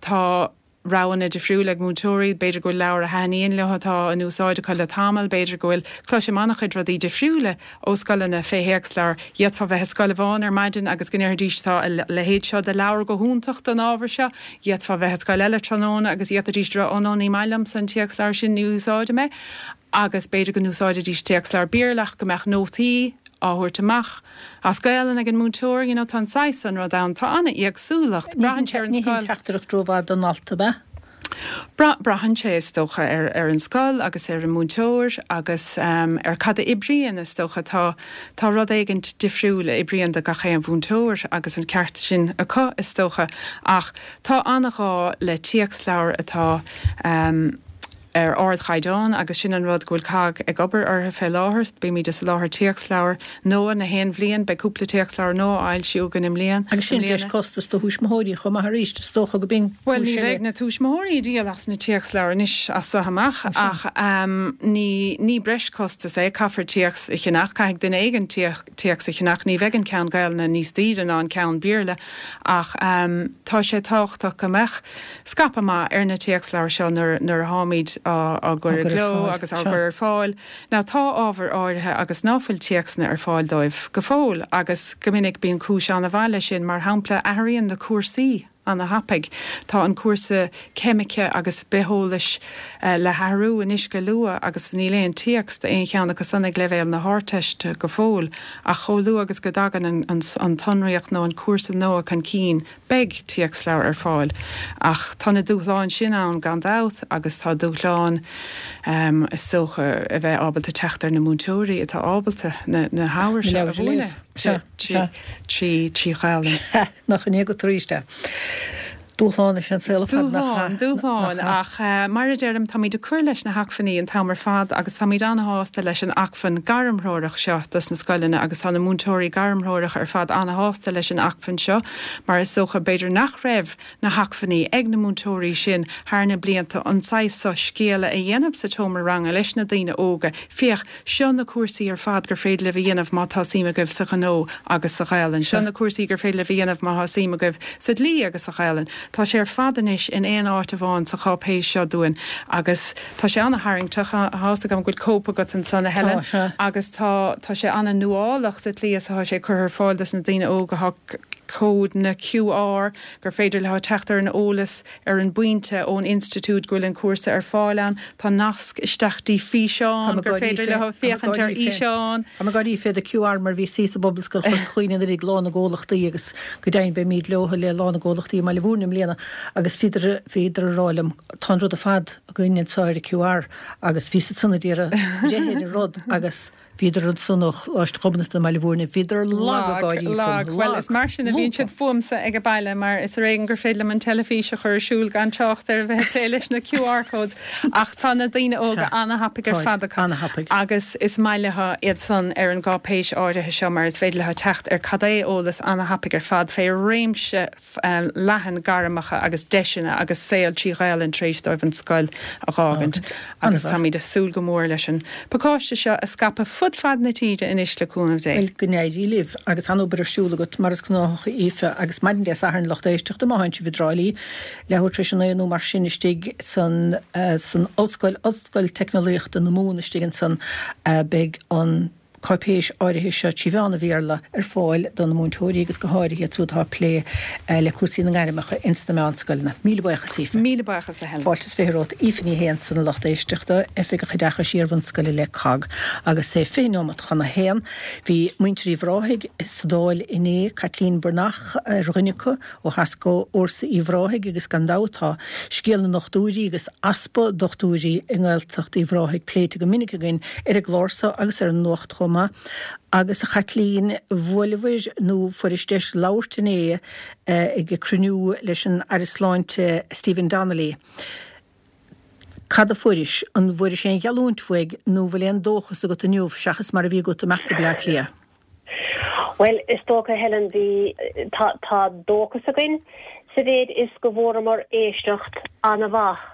Tá roghanna difriúla ag múinteoirí. B'fhéidir go bhfuil leabhar a thaitníonn leo atá in úsáid acu le tamall. B'fhéidir go bhfuil, cloisim an-chuid rudaí difriúla ó scoileanna fé théacsleabhair. D'fhéadfá bheith i scoil amháin ar maidin agus go ndéarfaidís tá a leithéid seo de leabhar go hiontach don ábhar seo. D'fhéadfá bheith i scoil eile tráthnóna agus d'fhéadfaidís a rá, oh no, ní maith liomsa an téacsleabhar sin, ní úsáidim é. Agus b'fhéidir go n-úsáidfidís téacsleabhar Béarla ach go mbeadh nótaí á thabhairt amach as Gaelainn ag an múinteoir, you know, tá an saghas san rud ann. Tá an-éagsúlacht. Braitheann sé ar an Ní hin scoil. teachtaireacht rómhaith don ndalta, ab ea? Braitheann sé, is dócha, ar ar an scoil agus ar an múinteoir agus ar cad a oibríonn, is dócha. Tá tá rud éigint difriúil a oibríonn do gach aon mhúinteoir agus an ceart sin acu, is dócha. Ach tá an-ghá le téacsleabhair atá ar ardchaighdeán agus sin an rud go bhfuil COGG ag obair orthu fé láthair. Bímid ag soláthar téacsleabhar nua na haon bhliain. Beidh cúpla téacsleabhar nua á fhoilsiú againn i mbliana. Agus sin breis costas do thuismitheoirí chomh maith arís, is dócha go b'in Bhuel, cúis ní eile. bheidh na tuismitheoirí ag díol as na téacsleabhair anois as so amach ach ní ní breis costas é. Caithfear téacs a cheannach, caithfidh duine éigin téacs a cheannach. Ní bheidh an ceann Gaelainne níos daoire ná an ceann Béarla ach tá sé tábhachtach go mbeadh scaipeadh maith ar na téacsleabhair seo nuair a tháimid á gcur i gcló agus á gcur ar fáil. Now tá ábhair áirithe agus ná fuil téacsanna ar fáil dóibh go fóill agus go minic bíonn cúis an-mhaith leis sin, mar shampla athraíonn na cúrsaí ana-thapaidh. Tá an cúrsa ceimice agus bitheolais le hathrú anois go luath agus níl aon téacs d'aon cheann acu san ag leibhéal na hArdteiste go fóill ach chomh luath agus go dtagann an tsonraíocht nó an cúrsa nua chun cinn Beidh téacsleabhair ar fáil ach tá na dúshláin sin ann gan dabht agus tá dúshláin, is dócha, a bheith ábalta teacht ar na múinteoirí atá ábalta na hábhair seo a mhúineadh trí Ghaelainn. Nach in é agat arís é. Dúshlán is ea an saol ar fad, nach ea? Dúshlán, dúshlán, ach mar a deirim, táimid ag cur leis na hacmhainní an t-am ar fad agus táimid an-shásta leis an acmhainn gairmthreorach seo dos na scoileanna agus tá na múinteoirí gairmthreorach ar fad an-shásta leis an acmhainn seo mar is dócha b'fhéidir nach raibh na hacmhainní ag na múinteoirí sin thar na blianta an saghas seo scéala a dhéanamh sa tseomra ranga leis na daoine óga, féach, seo na cúrsaí ar fad gur féidir libh a dhéanamh má tá suim agaibh sa ghnó agus sa Ghaelainn, seo na cúrsaí gur féidir libh a dhéanamh má thá suim agaibh sa dlí agus sa Ghaelainn. Tá sé ar fad anois in aon áit amháin sa cháipéis seo dúinn agus tá sé ana-tharraingteach, tá a fhios agam go bhfuil cóip agat ansan, a Helen, agus tá tá sé ana-nuálach sa tslí is atá sé curtha ar fáil dos na daoine óga, tá códanna QR gur féidir leo teacht ar an eolas ar an bpointe ón institiúid go bhfuil an cúrsa ar fáil ann. Tá nasc isteach dtí físeán gur féidir leo féachaint ar fhíseán. Tá mé ag gáirí fé do QR mar bhíos thíos i bPobalscoil Chorca Dhuibhne anuraidh ag Lá na gComhlachtaí agus go deimhin beimíd leo le Lá na gComhlachtaí i mBaile Mhúirne i mbliana agus bhíodar bhíodar ag rá liom tá an rud ar fad againn anseo ar an QR agus bhíos ansan a d'iarraidh breith ar an rud agus Bhíodar ansan ó Choláiste Ghobnatan i mBaile Mhúirne, bhíodar lag ag gáirí fúm, lag, lag. Bhuel, is mar sin a bhíonn. Bíonn siad fúmsa ag baile mar is ar éigean gur féidir liom an teilifís a chur ar siúl gan trácht ar a bheith ag plé leis na QR codes ach tá na daoine óga ana-thapaidh ar fad acu agus is maith leo iad san ar an gcáipéis áirithe seo mar is féidir leo teacht ar cad é eolas ana-thapaidh ar fad fé réimse leathan gairmeacha agus deiseanna agus saol trí Ghaelainn tar éis dóibh an scoil a dh'fhágaint agus táimid ag súil go mór leis an bpacáiste seo a scaipeadh fud fad na tíre anois le cúnamh Dé. Bhuel, go n-éirí libh agus an-obair ar siúl agat mar is gnách a Aoife agus maidin Dé Sathairn lucht éisteachta má théann sibh i dTrá Lí leathuair tar éis a 9 nó mar sin istigh san san ollscoil, Ollscoil Teicneolaíochta na Mumhan istigh ansan beidh an cáipéis áirithe seo trí mheán an Bhéarla ar fáil do na múinteoirí agus go háirithe iad siúd atá ag plé le cúrsaí na ngairmeacha ins na meánscoileanna. Míle buíochas Aoife. Míle buíochas a Helen. Fáilte is 20 romhat. Aoife Ní Shé ansan a lucht éisteachta, Oifigeach Oideachais Iarbhunscoile le cogg. Agus é 20 neomat chun a haon, bhí muintir Uíbh Ráthaigh sa Dáil inné, Caitlín Breathnach ar dhuine acu, ó theas d'Fhórsa Uíbh Ráthaigh agus gan dabht tá scéal na ndochtúirí agus easpa dochtúirí i nGaeltacht Uíbh Ráthaigh pléite go minic againn ar an gclár so agus ar an Nuacht chomh maith. Agus a Chaitlín, bhuaileabhair nó fuairis deis labhairt inné ag cruinniú leis an Aire Sláinte Stephen Donnelly. Cad a fuairis? An bhfuairis aon gheallúint uaidh nó bhfuil aon dóchas agat inniu seachas mar a bhí agat imeacht go Bleá Cliath? Bhuel, is dócha, Helen, bhí, tá, tá dóchas againn sa mhéid is go bhfuaireamar éisteacht an-mhaith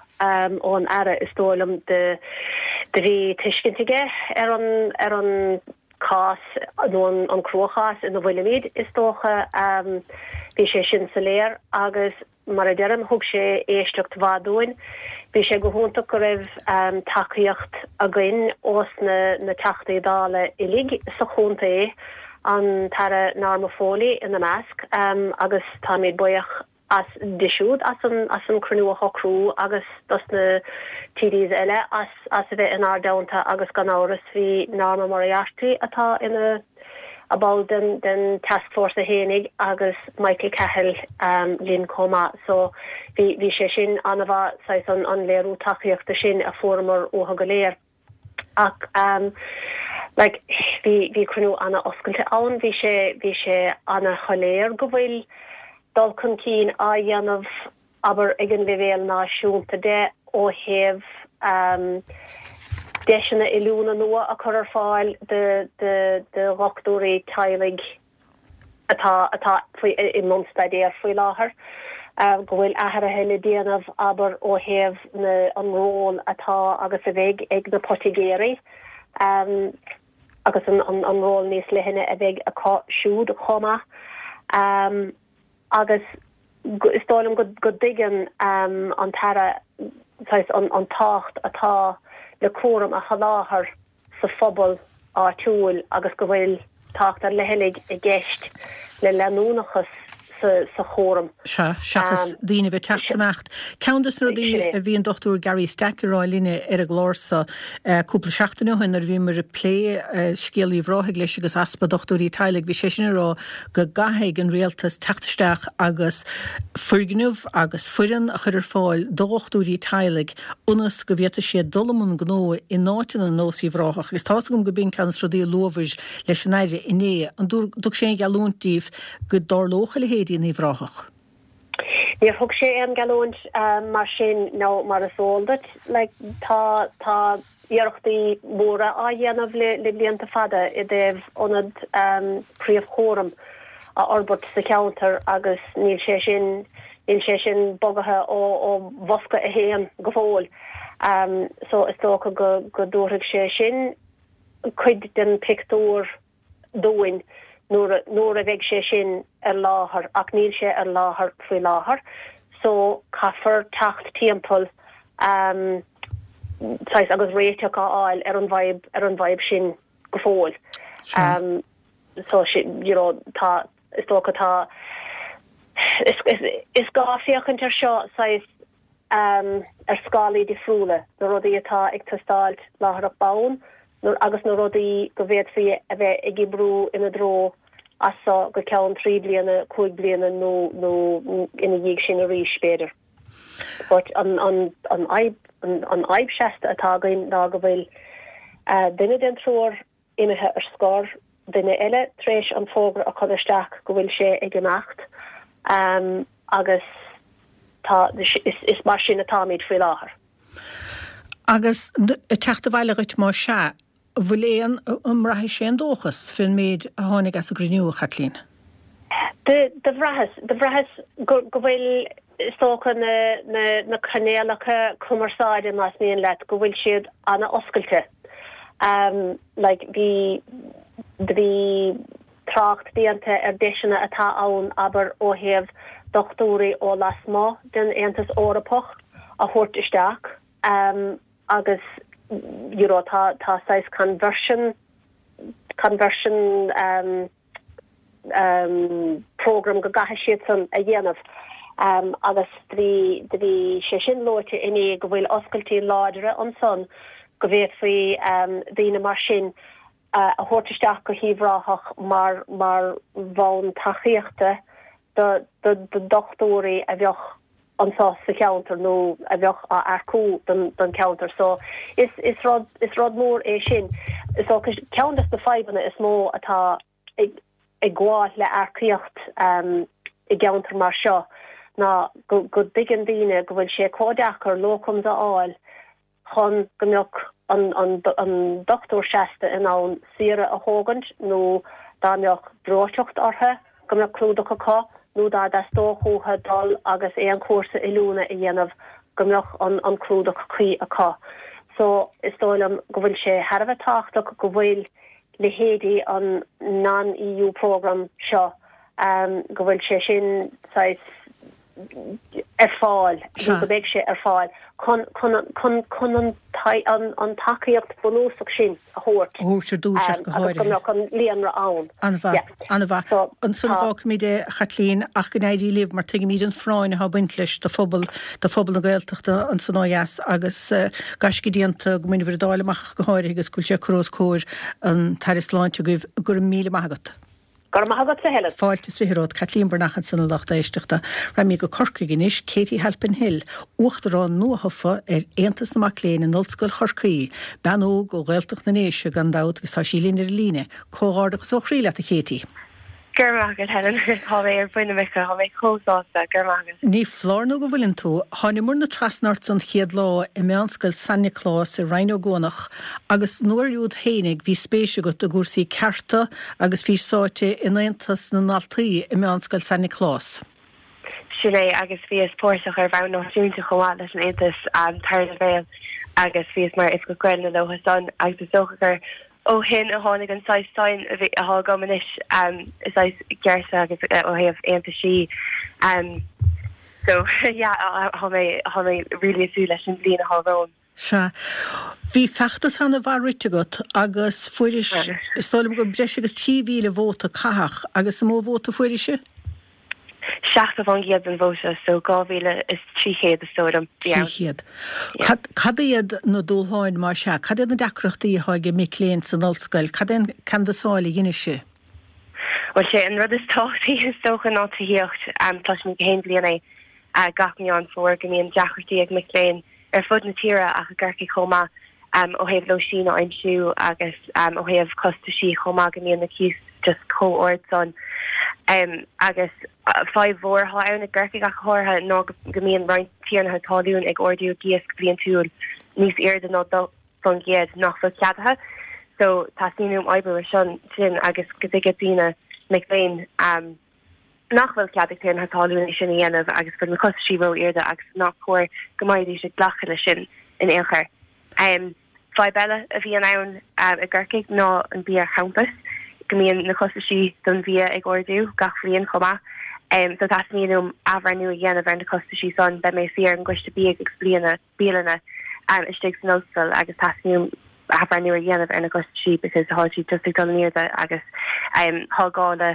ón Aire, is dóigh liom. Do, do bhí tuiscint aige ar an, ar an cás nó an, an cruachás ina bhfuilimid, is dócha. Bhí sé sin soiléir agus. Mar a deirim, thug sé éisteacht mhaith dúinn. Bhí sé go hiontach go raibh tacaíocht againn ós na Teachtaí Dála uilig sa chontae, an tAire Norma Foley ina measc, agus táimid buíoch as di siúd as an cruinniú a shocrú agus dos na TDs eile as a bheith inár dteannta agus gan amhras bhí Norma Moriarty atá ina a ball den den tascfhórsa fhéinig agus Michael Cahill linn chomh maith so bhí bhí sé sin an-mhaith saghas an an léiriú tacaíochta sin a fuaireamar uathu go léir. Ach like bhí bhí cruinniú an-oscailte ann, bhí sé bhí sé an-shoiléir go bhfuil dul chun cinn á dhéanamh abair, ag an leibhéal náisiúnta de ó thaobh deiseanna oiliúna nua a chur ar fáil do dhochtúirí teaghlaigh atá atá faoi i mbun staidéir faoi láthair, go bhfuil athruithe le déanamh, abair, ó thaobh na an ról atá agus a bheidh ag na poitigéirí agus an an ról níos leithne a bheidh acu siúd chomh maith. Agus is dóigh liom go dtuigeann an tAire saghas an tábhacht atá le cúram a sholáthar sa phobal áitiúil agus go bhfuil tábhacht ar leithligh i gceist le leanúnachas sa chúram. Sea, seachas daoine a bheith ag teacht is imeacht. Ceann de na rudaí a bhí an Dr Gary Stack ag rá linne ar an gclár so cúpla seachtain ó shin nuair a bhíomar ag plé scéal Uíbh Ráthaigh leis agus easpa dochtúirí teaghlaigh, bhí seisean ag rá go gcaithfidh an rialtas teacht isteach agus foirgneamh agus foireann a chur ar fáil do dhochtúirí teaghlaigh ionas go bhféadfaidh siad dul i mbun gnó in áiteanna ar nós Uíbh Ráthach agus tá's agam go b'in ceann de na rudaí a luabhair leis an Aire inné. An dtug sé aon gheallúint díbh go dtarlódh a leithéidí in Uíbh Ráthach? Níor thug sé aon gheallúint mar sin nó mar is eol duit, like, tá, tá iarrachtaí móra á dhéanamh le, le blianta fada i dtaobh ionad príomhchúraim a fhorbairt sa cheantar agus níl sé sin, níl sé sin bogaithe ó, ó bhosca a haon go fóill. So is dócha go, go dtabharfaidh sé sin cuid den pictiúr dúinn nuair nuair a bheidh sé sin ar láthair ach níl sé ar láthair faoi láthair so caithfear teacht timpeall um saghas agus réiteach a fháil ar an bhfadhb ar an bhfadhb sin go fóill. Um so you know tá is dócha tá is is is gá féachaint ar seo saghas ar scálaí difriúla, na rudaí atá ag teastáilt láithreach bonn agus na rudaí go bhféadfaí a bheith ag oibriú ina dtreo as so go ceann 3 bliana, 5 bliana nó nó ina dhiaidh sin arís, b'fhéidir. But an an an fhadhb an fhadhb seasta atá againn ná go bhfuil duine den triúr imithe ar scor. duine eile tar éis an fógra a chur isteach go bhfuil sé ag imeacht agus tá, is mar sin atáimid faoi láthair. Agus ag teacht abhaile dhuit más ea, an bhfuil aon, an mbraithis aon dóchas fén méid a tháinig as an gcruinniú, a Chaitlín? Do bhraitheas, do bhraitheas go bhfuil, is dócha, na, na, na cainéalacha cumarsáide, más mian leat, go bhfuil siad ana-oscailte. Like, bhí, do bhí trácht déanta ar deiseanna atá ann, abair, ó thaobh dochtúirí ó lasmuigh den Aontas Eorpach a thabhairt isteach agus, you know, tá, tá saghas conversion, conversion, program go gcaithfidh siadsan a dhéanamh agus do bhí, do bhí sé sin luaite inné go bhfuil oscailtí láidre ansan go bhféadfaí daoine mar sin a thabhairt isteach go hUíbh Ráthach mar, mar bhonn tacaíochta do, do, do dochtúirí a bheadh anseo sa cheantar nó a bheadh á earcú don, don cheantar. So is, is rud, is rud mór é sin. So ceann des na fadhbanna is mó atá ag, ag gabháil le earcaíocht i gceantar mar seo ná go, go dtuigeann daoine go bhfuil sé chomh deacair locums a fháil chun go mbeadh an dochtúir seasta in ann saoire a thógaint nó dá mbeadh breoiteacht orthu go mbeadh clúdach acu nó dá dteastódh uathu dul agus aon chúrsa oiliúna a dhéanamh go mbeadh an clúdach cuí acu. So is dóigh liom go bhfuil sé thar a bheith tábhachtach go bhfuil leithéidí an non-EU programme seo, go bhfuil sé sin saghas ar fáil nó go mbeidh sé ar fáil chun chun an an tacaíocht bunúsach sin a thabhairt. A thabhairt ar dtús ach go háirithe. Agus go mbeadh an líonra ann. An-mhaith. An-mhaith. Ansan a fhágfaimid é, a Chaitlín, ach go n-éirí libh mar tuigimid an phráinn atá ag baint leis do phobal, do phobal na Gaeltachta ansan ó dheas agus gaisce déanta go mbainfear an Dáil amach ach go háirithe agus go bhfuil sé curtha os comhair an tAire Sláinte agaibh. Go raibh míle maith agat. Go raibh maith agatsa, Helen. Fáilte is 20 romhat. Caitlín Breathnach ansan a lucht éisteachta. Raghaimid go Corcaigh anois. Katie Halpin Hill, Uachtarán nuathofa ar Aontas na Mac Léinn in Ollscoil Chorcaí. Bean óg ó Ghaeltacht na nDéise gan dabht agus tá sí linn ar an líne. Comhghairdeachas ó chroí leat a Katie. Go raibh maith agat, Helen. Tá mé ar buile muice. Tá mé chomh sásta. Go raibh maith agat. Ní foláir nó go bhfuileann tú. Tháinimearna trasna ort an chéad lá i Meánscoil San Nioclás i Rinn Ó gCuanach agus an uair úd fhéinig bhí spéis agat i gcúrsaí cearta agus bhís sáite in Aontas na nDaltaí i Meánscoil San Nioclás. Sin é, agus bhíos páirteach ar bhonn náisiúnta chomh maith leis an Aontas tarna leibhéal agus bhíos mar Oifigeach Gaelainne leo san agus is dócha gur ó shin a tháinig an saghas suim a bhí atá agam anois i saghas cearta agus ó thaobh aontaisí. So yeah, tá mé tá mé really ag súil leis an bhliain atá romham. Sea. Bhí feachtas ana-mhaith rite agat agus fuairis, is dóigh liom gur breis agus 3,000 vóta caitheadh agus an mó vóta fuairis? 70% den vóta, so 2,300 is dóigh liom. 300. Cad iad na dúshláin más ea? Cad iad na deacrachtaí atá ag mic léinn san ollscoil? Cad é an canbhasáil a dheinis sibh? Bhuel, sé an rud is tábhachtaí is dócha ná tithíocht. Cloisimid gach aon bhliain é gach Meán Fómhair go mbíonn deacrachtaí ag mic léinn ar fud na tíre ach i gCorcaigh chomh maith ó thaobh lóistín a aimsiú agus ó thaobh costaisí chomh maith go mbíonn na cíos just chomh ard san. Agus fadhb mhór atá ann i gCorcaigh ach go háirithe ná go mbíonn roinnt tiarnaithe talún ag ardú a gcíos go bliantúil níos airde ná 2% nach bhfuil ceadaithe. So teastaíonn uaim oibriú ar son sin agus go dtuigfidh daoine, mic léinn, nach bhfuil cead ag tiarnaithe talún é sin a dhéanamh agus go bhfuil na costaisí ró-airde agus nach cóir go mbeidís ag glacadh leis sin in aon chor. Fadhb eile a bhíonn ann i gCorcaigh ná an bia ar champas, go mbíonn na costaisí don bhia ag ardú gach bhliain chomh maith. So teastaíonn uaim athbhreithniú a dhéanamh ar na costaisí san. Beidh mé ag suí ar an gcoiste bídh agus bliana bialanna istigh san ollscoil agus teastaíonn uaim athbhreithniú a dhéanamh ar na costaisí because tá siad just ag dul in airde agus tá gá le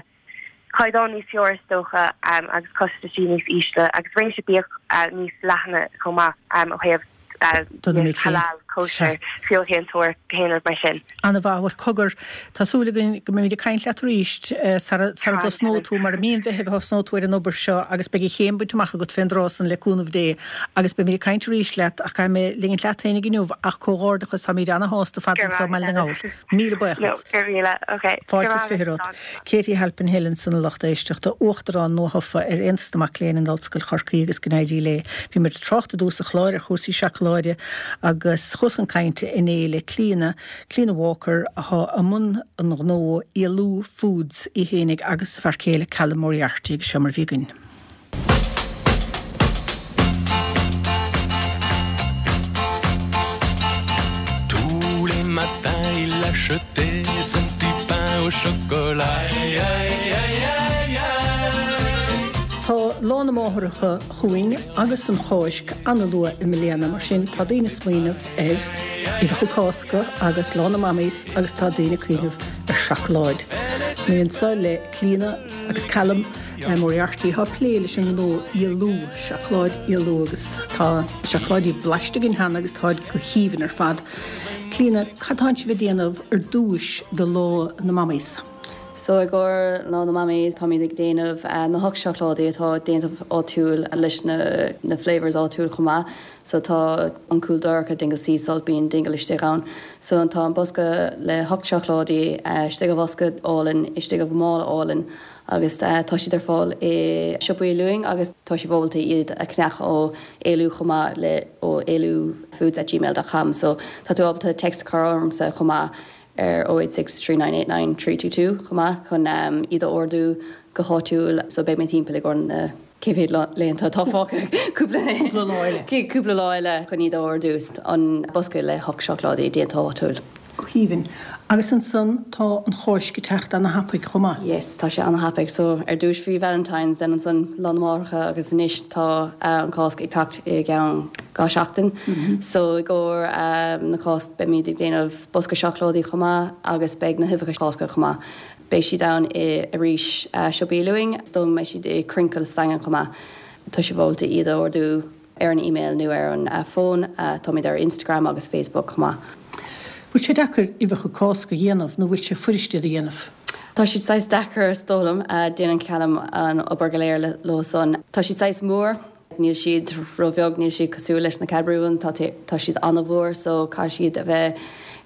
caighdeán níos fearr is dócha agus costaisí níos ísle agus réimse bídh níos leithne chomh maith ó thaobh. Do na mic léinn. halal, kosher, feoilséantóir, aon rud mar sin. Ana-mhaith. Bhuel, cogar, tá súil againn go mbeimid ag caint leat arís sara dtosnóidh tú, mar i mí an Mheithimh a thosnóidh tú ar an obair seo agus beidh an chéim bainte amach agat fén dtráth san le cúnamh Dé agus beimid ag caint arís leat ach caithfidh mé ligint leat féinig inniu ach comhghairdeachas, táimid ana-shásta ar fad anseo i mBaile na nGall. Míle buíochas. Fáilte is 20 romhat. Katie Halpin Hill ansan a lucht éisteachta, Uachtarán nuathofa ar Aontas na Mac Léinn in Ollscoil Chorcaí agus go n-éirí léi. Bhí muid ag trácht i dtús an chláir ar chúrsaí seacláide agus chuas chun cainte inné le Clíona, Clíona Walker athá i mbun an ghnó Éalú Foods í fhéinig agus a fear céile Callum Moriarty agus seo mar a bhí againn. Tous les matins il achetait son petit pain au chocolat aïe aïe aïe aïe aïe. Tá Lá na Máithreacha chugainn agus an Cháisc an-luath i mbliana, mar sin tá daoine ag smaoineamh ar uibheacha Cásca agus Lá na Mamaís agus tá daoine ag cuimhneamh ar seacláid. Mé anseo le Clíona agus Callum Moriarty atá ag plé leis an ngnó Éalú, seacláid Éalú agus tá seacláidí blaiste againn cheana agus táid go haoibhinn ar fad. Clíona, cad tánn sibh ag déanamh ar dtúis do Lá na Mamaís? So i gcomhair Lá na Mamaís táimid ag déanamh na hocht seacláidí atá déanta áitiúil leis na na flavours áitiúil chomh maith. So tá an Cúl Dorcha, Dingle Sea Salt, bíonn Dingle istigh ann. So tá an bosca le hocht seacláidí istigh i bhosca álainn, istigh i mála álainn agus tá siad ar fáil i siopaí Luain agus tá sibh ábalta iad a cheannach ó Éalú chomh maith le ó éalufoods at gmail dot com. So tá tú ábalta text a chur ormsa chomh maith ar 086 3989 322 chomh maith chun iad a ordú go háitiúil. So beidh mé timpeall i gcomhair na cé mhéad laethanta atá fágtha? Cúpla lá eile. Cúpla lá eile chun iad a ordú. An bosca le hocht seacláidí déanta áitiúil. Go haoibhinn. Agus ansan tá an Cháisc ag teacht ana-thapaidh chomh maith. Yes, tá sé ana-thapaidh. So ar dtúis bhí Valentine's, then ansan Lá na Máithreacha agus anois tá an Cháisc ag teacht i gceann 2 seachtain. So i gcomhair na Cásc beimid ag déanamh bosca seacláidí chomh maith agus beidh na huibheacha Cásca chomh maith. Beidh siad ann i arís siopaí Luain, is dóigh liom go mbeidh siad i Crinkle sa Daingean chomh maith. Tá sibh ábalta iad a ordú ar an email nó ar an fón. Táimid ar Instagram agus Facebook chomh maith. Bhfuil sé deacair uibheacha Cásca a dhéanamh nó bhfuil sé fuirist iad a dhéanamh? Tá siad saghas deacair is dóigh liom. Déanann Callum an obair go léir leo san. Tá siad saghas mór. Níl siad ró-bheag, níl siad cosúil leis na Cadbury ones, tá tá siad an-mhór so caithfidh siad a bheith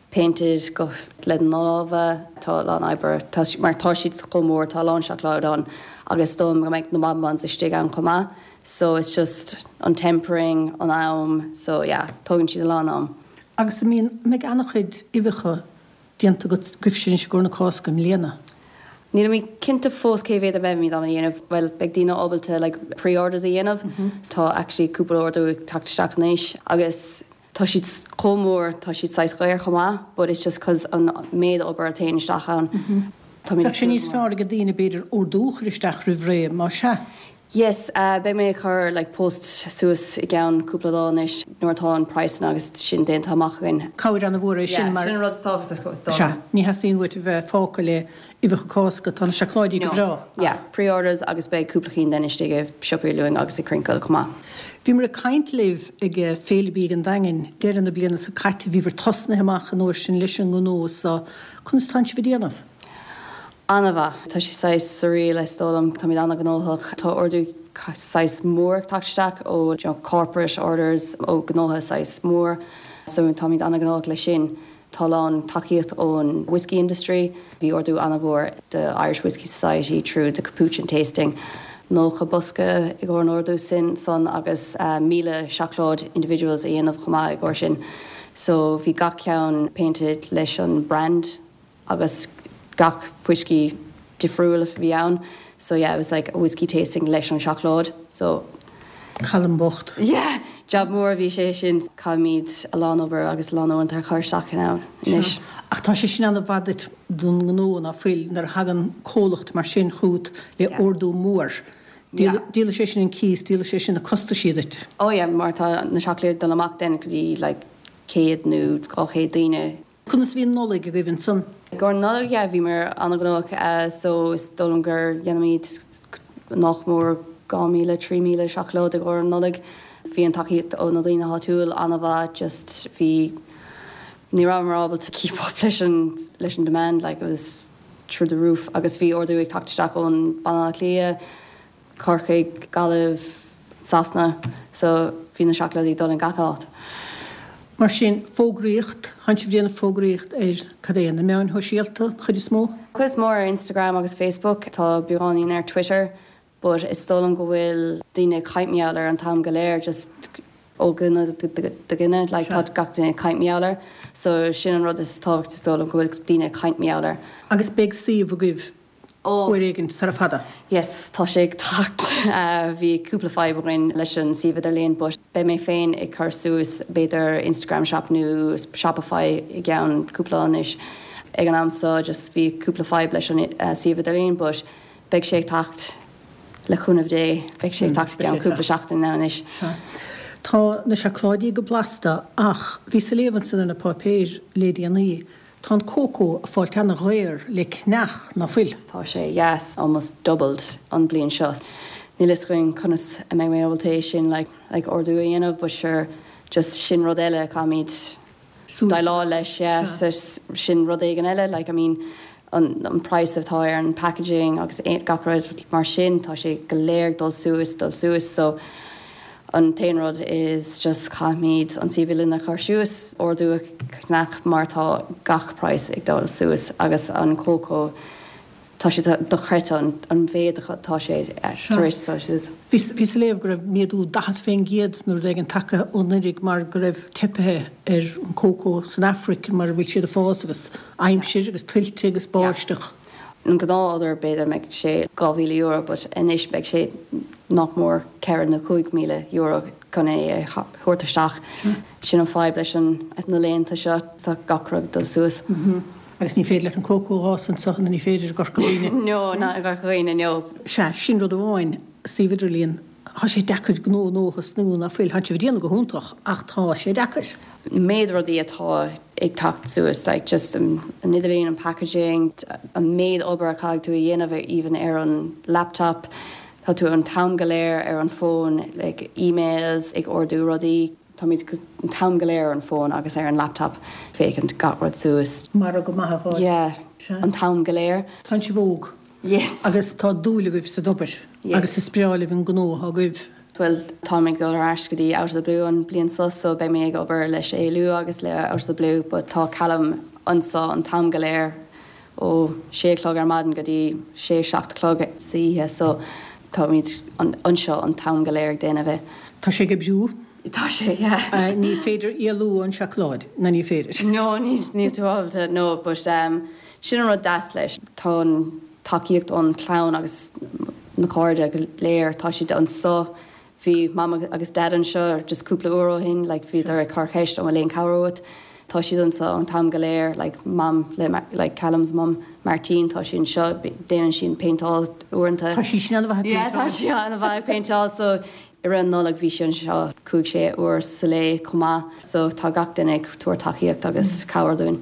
painted go le na lámha, tá a lán oibre, tá mar tá siad chomh mór, tá a lán seacláid ann agus is dóigh liom go mbeidh na bonbons istigh ann chomh maith so it's just an tempering, an am, so yeah, tógann siad a lán am. Agus an mbíonn, an mbeidh an-chuid uibheacha déanta agat agaibhse anois i gcomhair na Cásca i mbliana? Nílimid cinnte fós cé mhéad a bheimid á dhéanamh. Bhuel, beidh daoine ábalta like pre-orders a dhéanamh. Tá actually cúpla ordú ag teacht isteach anois agus tá siad chomh mór, tá siad saghas daor chomh maith but it's just cause an méid obair a théann isteach ann. Táimid ag Bheadh sé níos fearr ag daoine b'fhéidir ordú a chur isteach roimh ré, má sea. Yes, beidh mé ag cur like post suas i gceann cúpla lá anois nuair atá an praghsanna agus sin déanta amach againn. Cabhair an-mhór é sin mar. Yeah, sin an rud is tábhachtaí is dóigh Sea, ní theastaíonn uait a bheith fágtha le uibheacha Cásca, tá na seacláidí go breá. Yeah, pre-orders agus beidh cúpla cinn then istigh i siopaí Luain agus i Crinkle chomh maith. Bhíomar ag caint libh ag Féile Bídh an Daingin deireadh na bliana seo caite, bhíobhair tosnaithe amach an uair sin leis an ngnó so, conas tánn sibh ag déanamh? An-mhaith. Tá sé saghas surreal is dóigh liom. Táimid an-ghnóthach. Tá ordú saghas mór ag teacht isteach ó you know corporate orders ó gnótha saghas mór so táimid an-ghnóthach leis sin. Tá a lán tacaíocht ón whiskey industry. Bhí ordú an-mhór do Irish Whiskey Society through the Capuchin tasting. 90 bosca i gcomhair an ordú sin san agus 1,000 seacláid individuals a dhéanamh chomh maith i gcomhair sin. So bhí gach ceann painted leis an brand. agus gach fuiscí difriúil a bhí ann so yeah it was like a whiskey tasting leis an seacláid so. Callum bocht. Yeah! Jab mór a bhí sé sin. Caithfimid a lán obair agus a lán uaireanta a chur isteach ann anois. Sea. Ach tá sé sin an-mhaith duit don ngnó ná fuil, nuair a thagann comhlacht mar sin chugat le ordú mór. Yeah. Díolfaidh sé sin an cíos, díolfaidh sé sin na costaisí duit. Oh yeah, mar tá na seacláidí ag dul amach then go dtí like 100 nó 200 daoine. Conas a bhí an Nollaig agaibh ansan? I gcomhair na Nollag, yeah, bhíomar an-ghnóthach so is dóigh liom gur dhéanamid nach mór 2,000, 3,000 seacláid i gcomhair an Nollaig. Bhí an tacaíocht ó na daoine áitiúil an-mhaith just bhí ní rabhamar ábalta keep up leis an leis an demand like it was through the roof agus bhí ordú ag teacht isteach ón Baile Átha Cliath, Corcaigh, Gaillimh, Sasana so bhí na seacláidí ag dul in gach áit. Mar sin, fógraíocht, tánn sibh ag déanamh fógraíocht ar, cad é, na meáin shóisialta, an chuid is mó? Cuid is mó ar Instagram agus Facebook, tá beagáinín ar Twitter but is dóigh liom go bhfuil daoine ag caint mar gheall air an t-am go léir just ó dhuine go duine like tá gach duine ag caint mar gheall air so sin an rud is tábhachtaí is dóigh liom go bhfuil daoine ag caint mar gheall air. Agus beidh suíomh agaibh uair éigin sara fada? Yes, tá sé ag teacht. Bhí cúpla fadhb againn leis an suíomh idirlíon but beidh mé féin ag cur suas b'fhéidir Instagram shop nó Shopify i gceann cúpla lá anois. Ag an am seo just bhí cúpla fadhb leis an suíomh idirlíon but beidh sé ag teacht le cúnamh Dé, beidh sé ag teacht i gceann cúpla seachtain now anois. Sea. Tá na seacláidí go blasta ach bhíos ag léamh ansan ar na páipéir le déanaí, tá an cócó ag fáilt ana-dhaor le ceannach, ná fuil? Tá sé, yes, almost doubled an bliain seo. Níl fhios againn conas a mbeidh mé ábalta é sin like like ordú a dhéanamh but sure just sin rud eile a caithfimid déileáil leis, yeah, so sin rud éigin eile, like, I mean, an, an price atá ar an packaging agus gach rud mar sin, tá sé go léir ag dul suas, dul suas, so an t-aon rud is just caithfimid an suíomh idirlín a chur suas, ordú a cheannach mar tá gach price ag dul suas agus an cócó, Tá sé dochreidte an mhéid atá sé tar éis dul suas. Bhíos ag léamh go raibh méadú 40% nó rud éigin tagtha ó anuraidh mar go raibh teipithe ar an cócó san Afraic mar a bhfuil siad ag fás agus aimsir agus tuilte agus báisteach. An gnáth-order b'fhéidir mbeidh sé €2,000 but anois beidh sé nach mór €4 nó €5,000 chun é a thabhairt isteach. Sin an fadhb leis na laethanta seo, tá gach rud ag dul suas. Agus ní féidir leat an cócó a fhás anseo nó ní féidir i gCorca Dhuibhne. No, not i gCorca Dhuibhne, no. Sea, sin rud amháin, suíomh idirlíon, tá sé deacair gnó nua a thosnú, ná fuil? Tánn sibh ag déanamh go hiontach ach tá sé deacair. An méid rudaí atá ag teacht suas, like just an idirlíon, an packaging, an méid obair a chaithfidh tú a dhéanamh even ar an laptop, tá tú an t-am go léir ar an fón, like emails, ag ordú rudaí. Táimid an t-am go léir ar an bhfón agus ar an laptop féachaint gach rud suas. Margadh maith a fháil. Yeah, an t-am go léir. Tánn sibh óg. Yes. Agus tá dúil agaibh san obair. Yes. Agus is breá libh an gnó atá agaibh. Bhuel, táim ag dul ar ais go dtí Out of the Blue an bliain seo so beidh mé ag obair leis Éalú agus le Out of the Blue but tá Callum anseo an t-am go léir ó sé a chlog ar maidin go dtí sé, 7 a chlog sa oíche so táimid anseo an t-am go léir ag déanamh é. Tá sé ag oibriú. Tá sé, yeah. Ní féidir éalú ón seacláid, nó ní féidir? No, níl tú ábalta, no, but sin an rud deas leis, tá an tacaíocht ón chlann agus na cairde go léir, tá siad anseo, bhí Mam agus Dad anseo just cúpla uair ó shin, like bhíodar ag cur ceist an bhfuil aon cabhair uait, tá siad anseo an t-am go léir, like Mam le like Callum's mum, Martine, tá sí anseo, déanann sí an péinteáil uaireanta. Tá sí sin an-mhaith ag péinteáil. Yeah, tá sí an-mhaith ag péinteáil, so I rith an Nollaig bhí sí anseo 5, 6 uair sa lae chomh maith so tá gach duine ag tabhairt tacaíocht agus cabhair dúinn.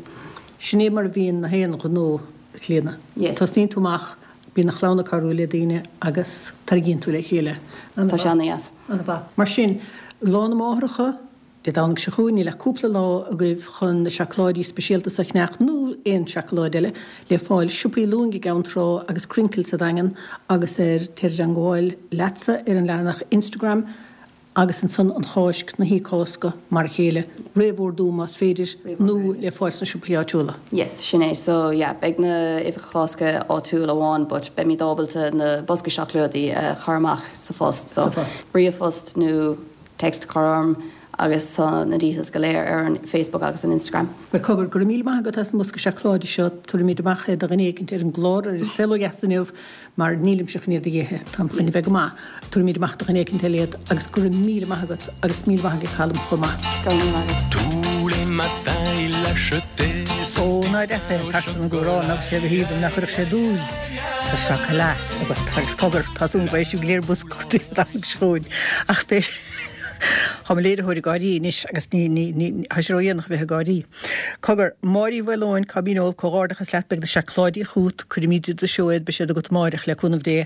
Sin é mar a bhíonn na haon ghnó, a Chlíodhna. Yes. Tosnaíonn tú amach, bíonn an chlann ag cabhrú le daoine agus tarraingíonn tú le chéile. Tá sé ana-dheas. An-mhaith. Mar sin, Lá na Máithreacha, Dé Domhnaigh seo chugainn, níl ach cúpla lá agaibh chun na seacláidí speisialta seo a cheannach nó aon seacláid eile, le fáil siopaí Lúing i gCeann Trá agus Krinkels sa Daingean agus ar Téir i dteangmháil leatsa ar an leathanach Instagram agus ansan an Cháisc, na hOíche Cásca, mar a chéile, réamhordú más féidir nó le fáil sna siopaí áitiúla. Yes, sin é. So yeah, beidh na uibheacha Cásca áitiúil amháin but beimid ábalta na boscaí seacláidí a chur amach sa phost. So ríomhphost nó text a chur orm agus tá na details go léir ar an Facebook agus an Instagram. Bhuel, cogar, go raibh míle maith agat as an mbosca seacláide seo. Tabharfaimid amach é do dhuine éicint ar an gclár ar An Saol Ó Dheas inniu mar nílimse chun iad a dh'ithe, táim chun a bheith go maith. Tabharfaimid amach do dhuine éicint eile iad agus go raibh míle maith agat agus míle maith ag Callum chomh maith. Go raibh míle maith agat. Tous les matins il achetait Ó, ná deas é an pearsa na gcomhrá, nach sé go haoibhinn, nach gcuirfeadh sé dúil sa chocolate agat agus cogar, tá súil go mbeidh sibh go léir bosca Dé Domhnaigh seo chugainn ach beidh. Tá mo léiritheoir ag gáirí anois agus ní, ní, ní, tá sé ródhéanach a bheith ag gáirí. Cogar, Máire Uí Mhaoileoin, cá míneol, comhghairdeachas leat, beidh na seacláidí chugat, cuirfimid i do seó iad, beidh siad agat amáireach, le cúnamh Dé.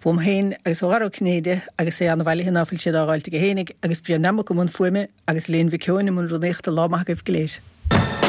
Uaim féin agus ó Dhara Ó Cinnéide agus é an-bhailithe ná fuil siad á dháilt aige fhéinig, agus Brian Nammock i mbun fuaime agus Elaine Mhic Eoin i mbun rúnaíochta, lá maith agaibh go léir.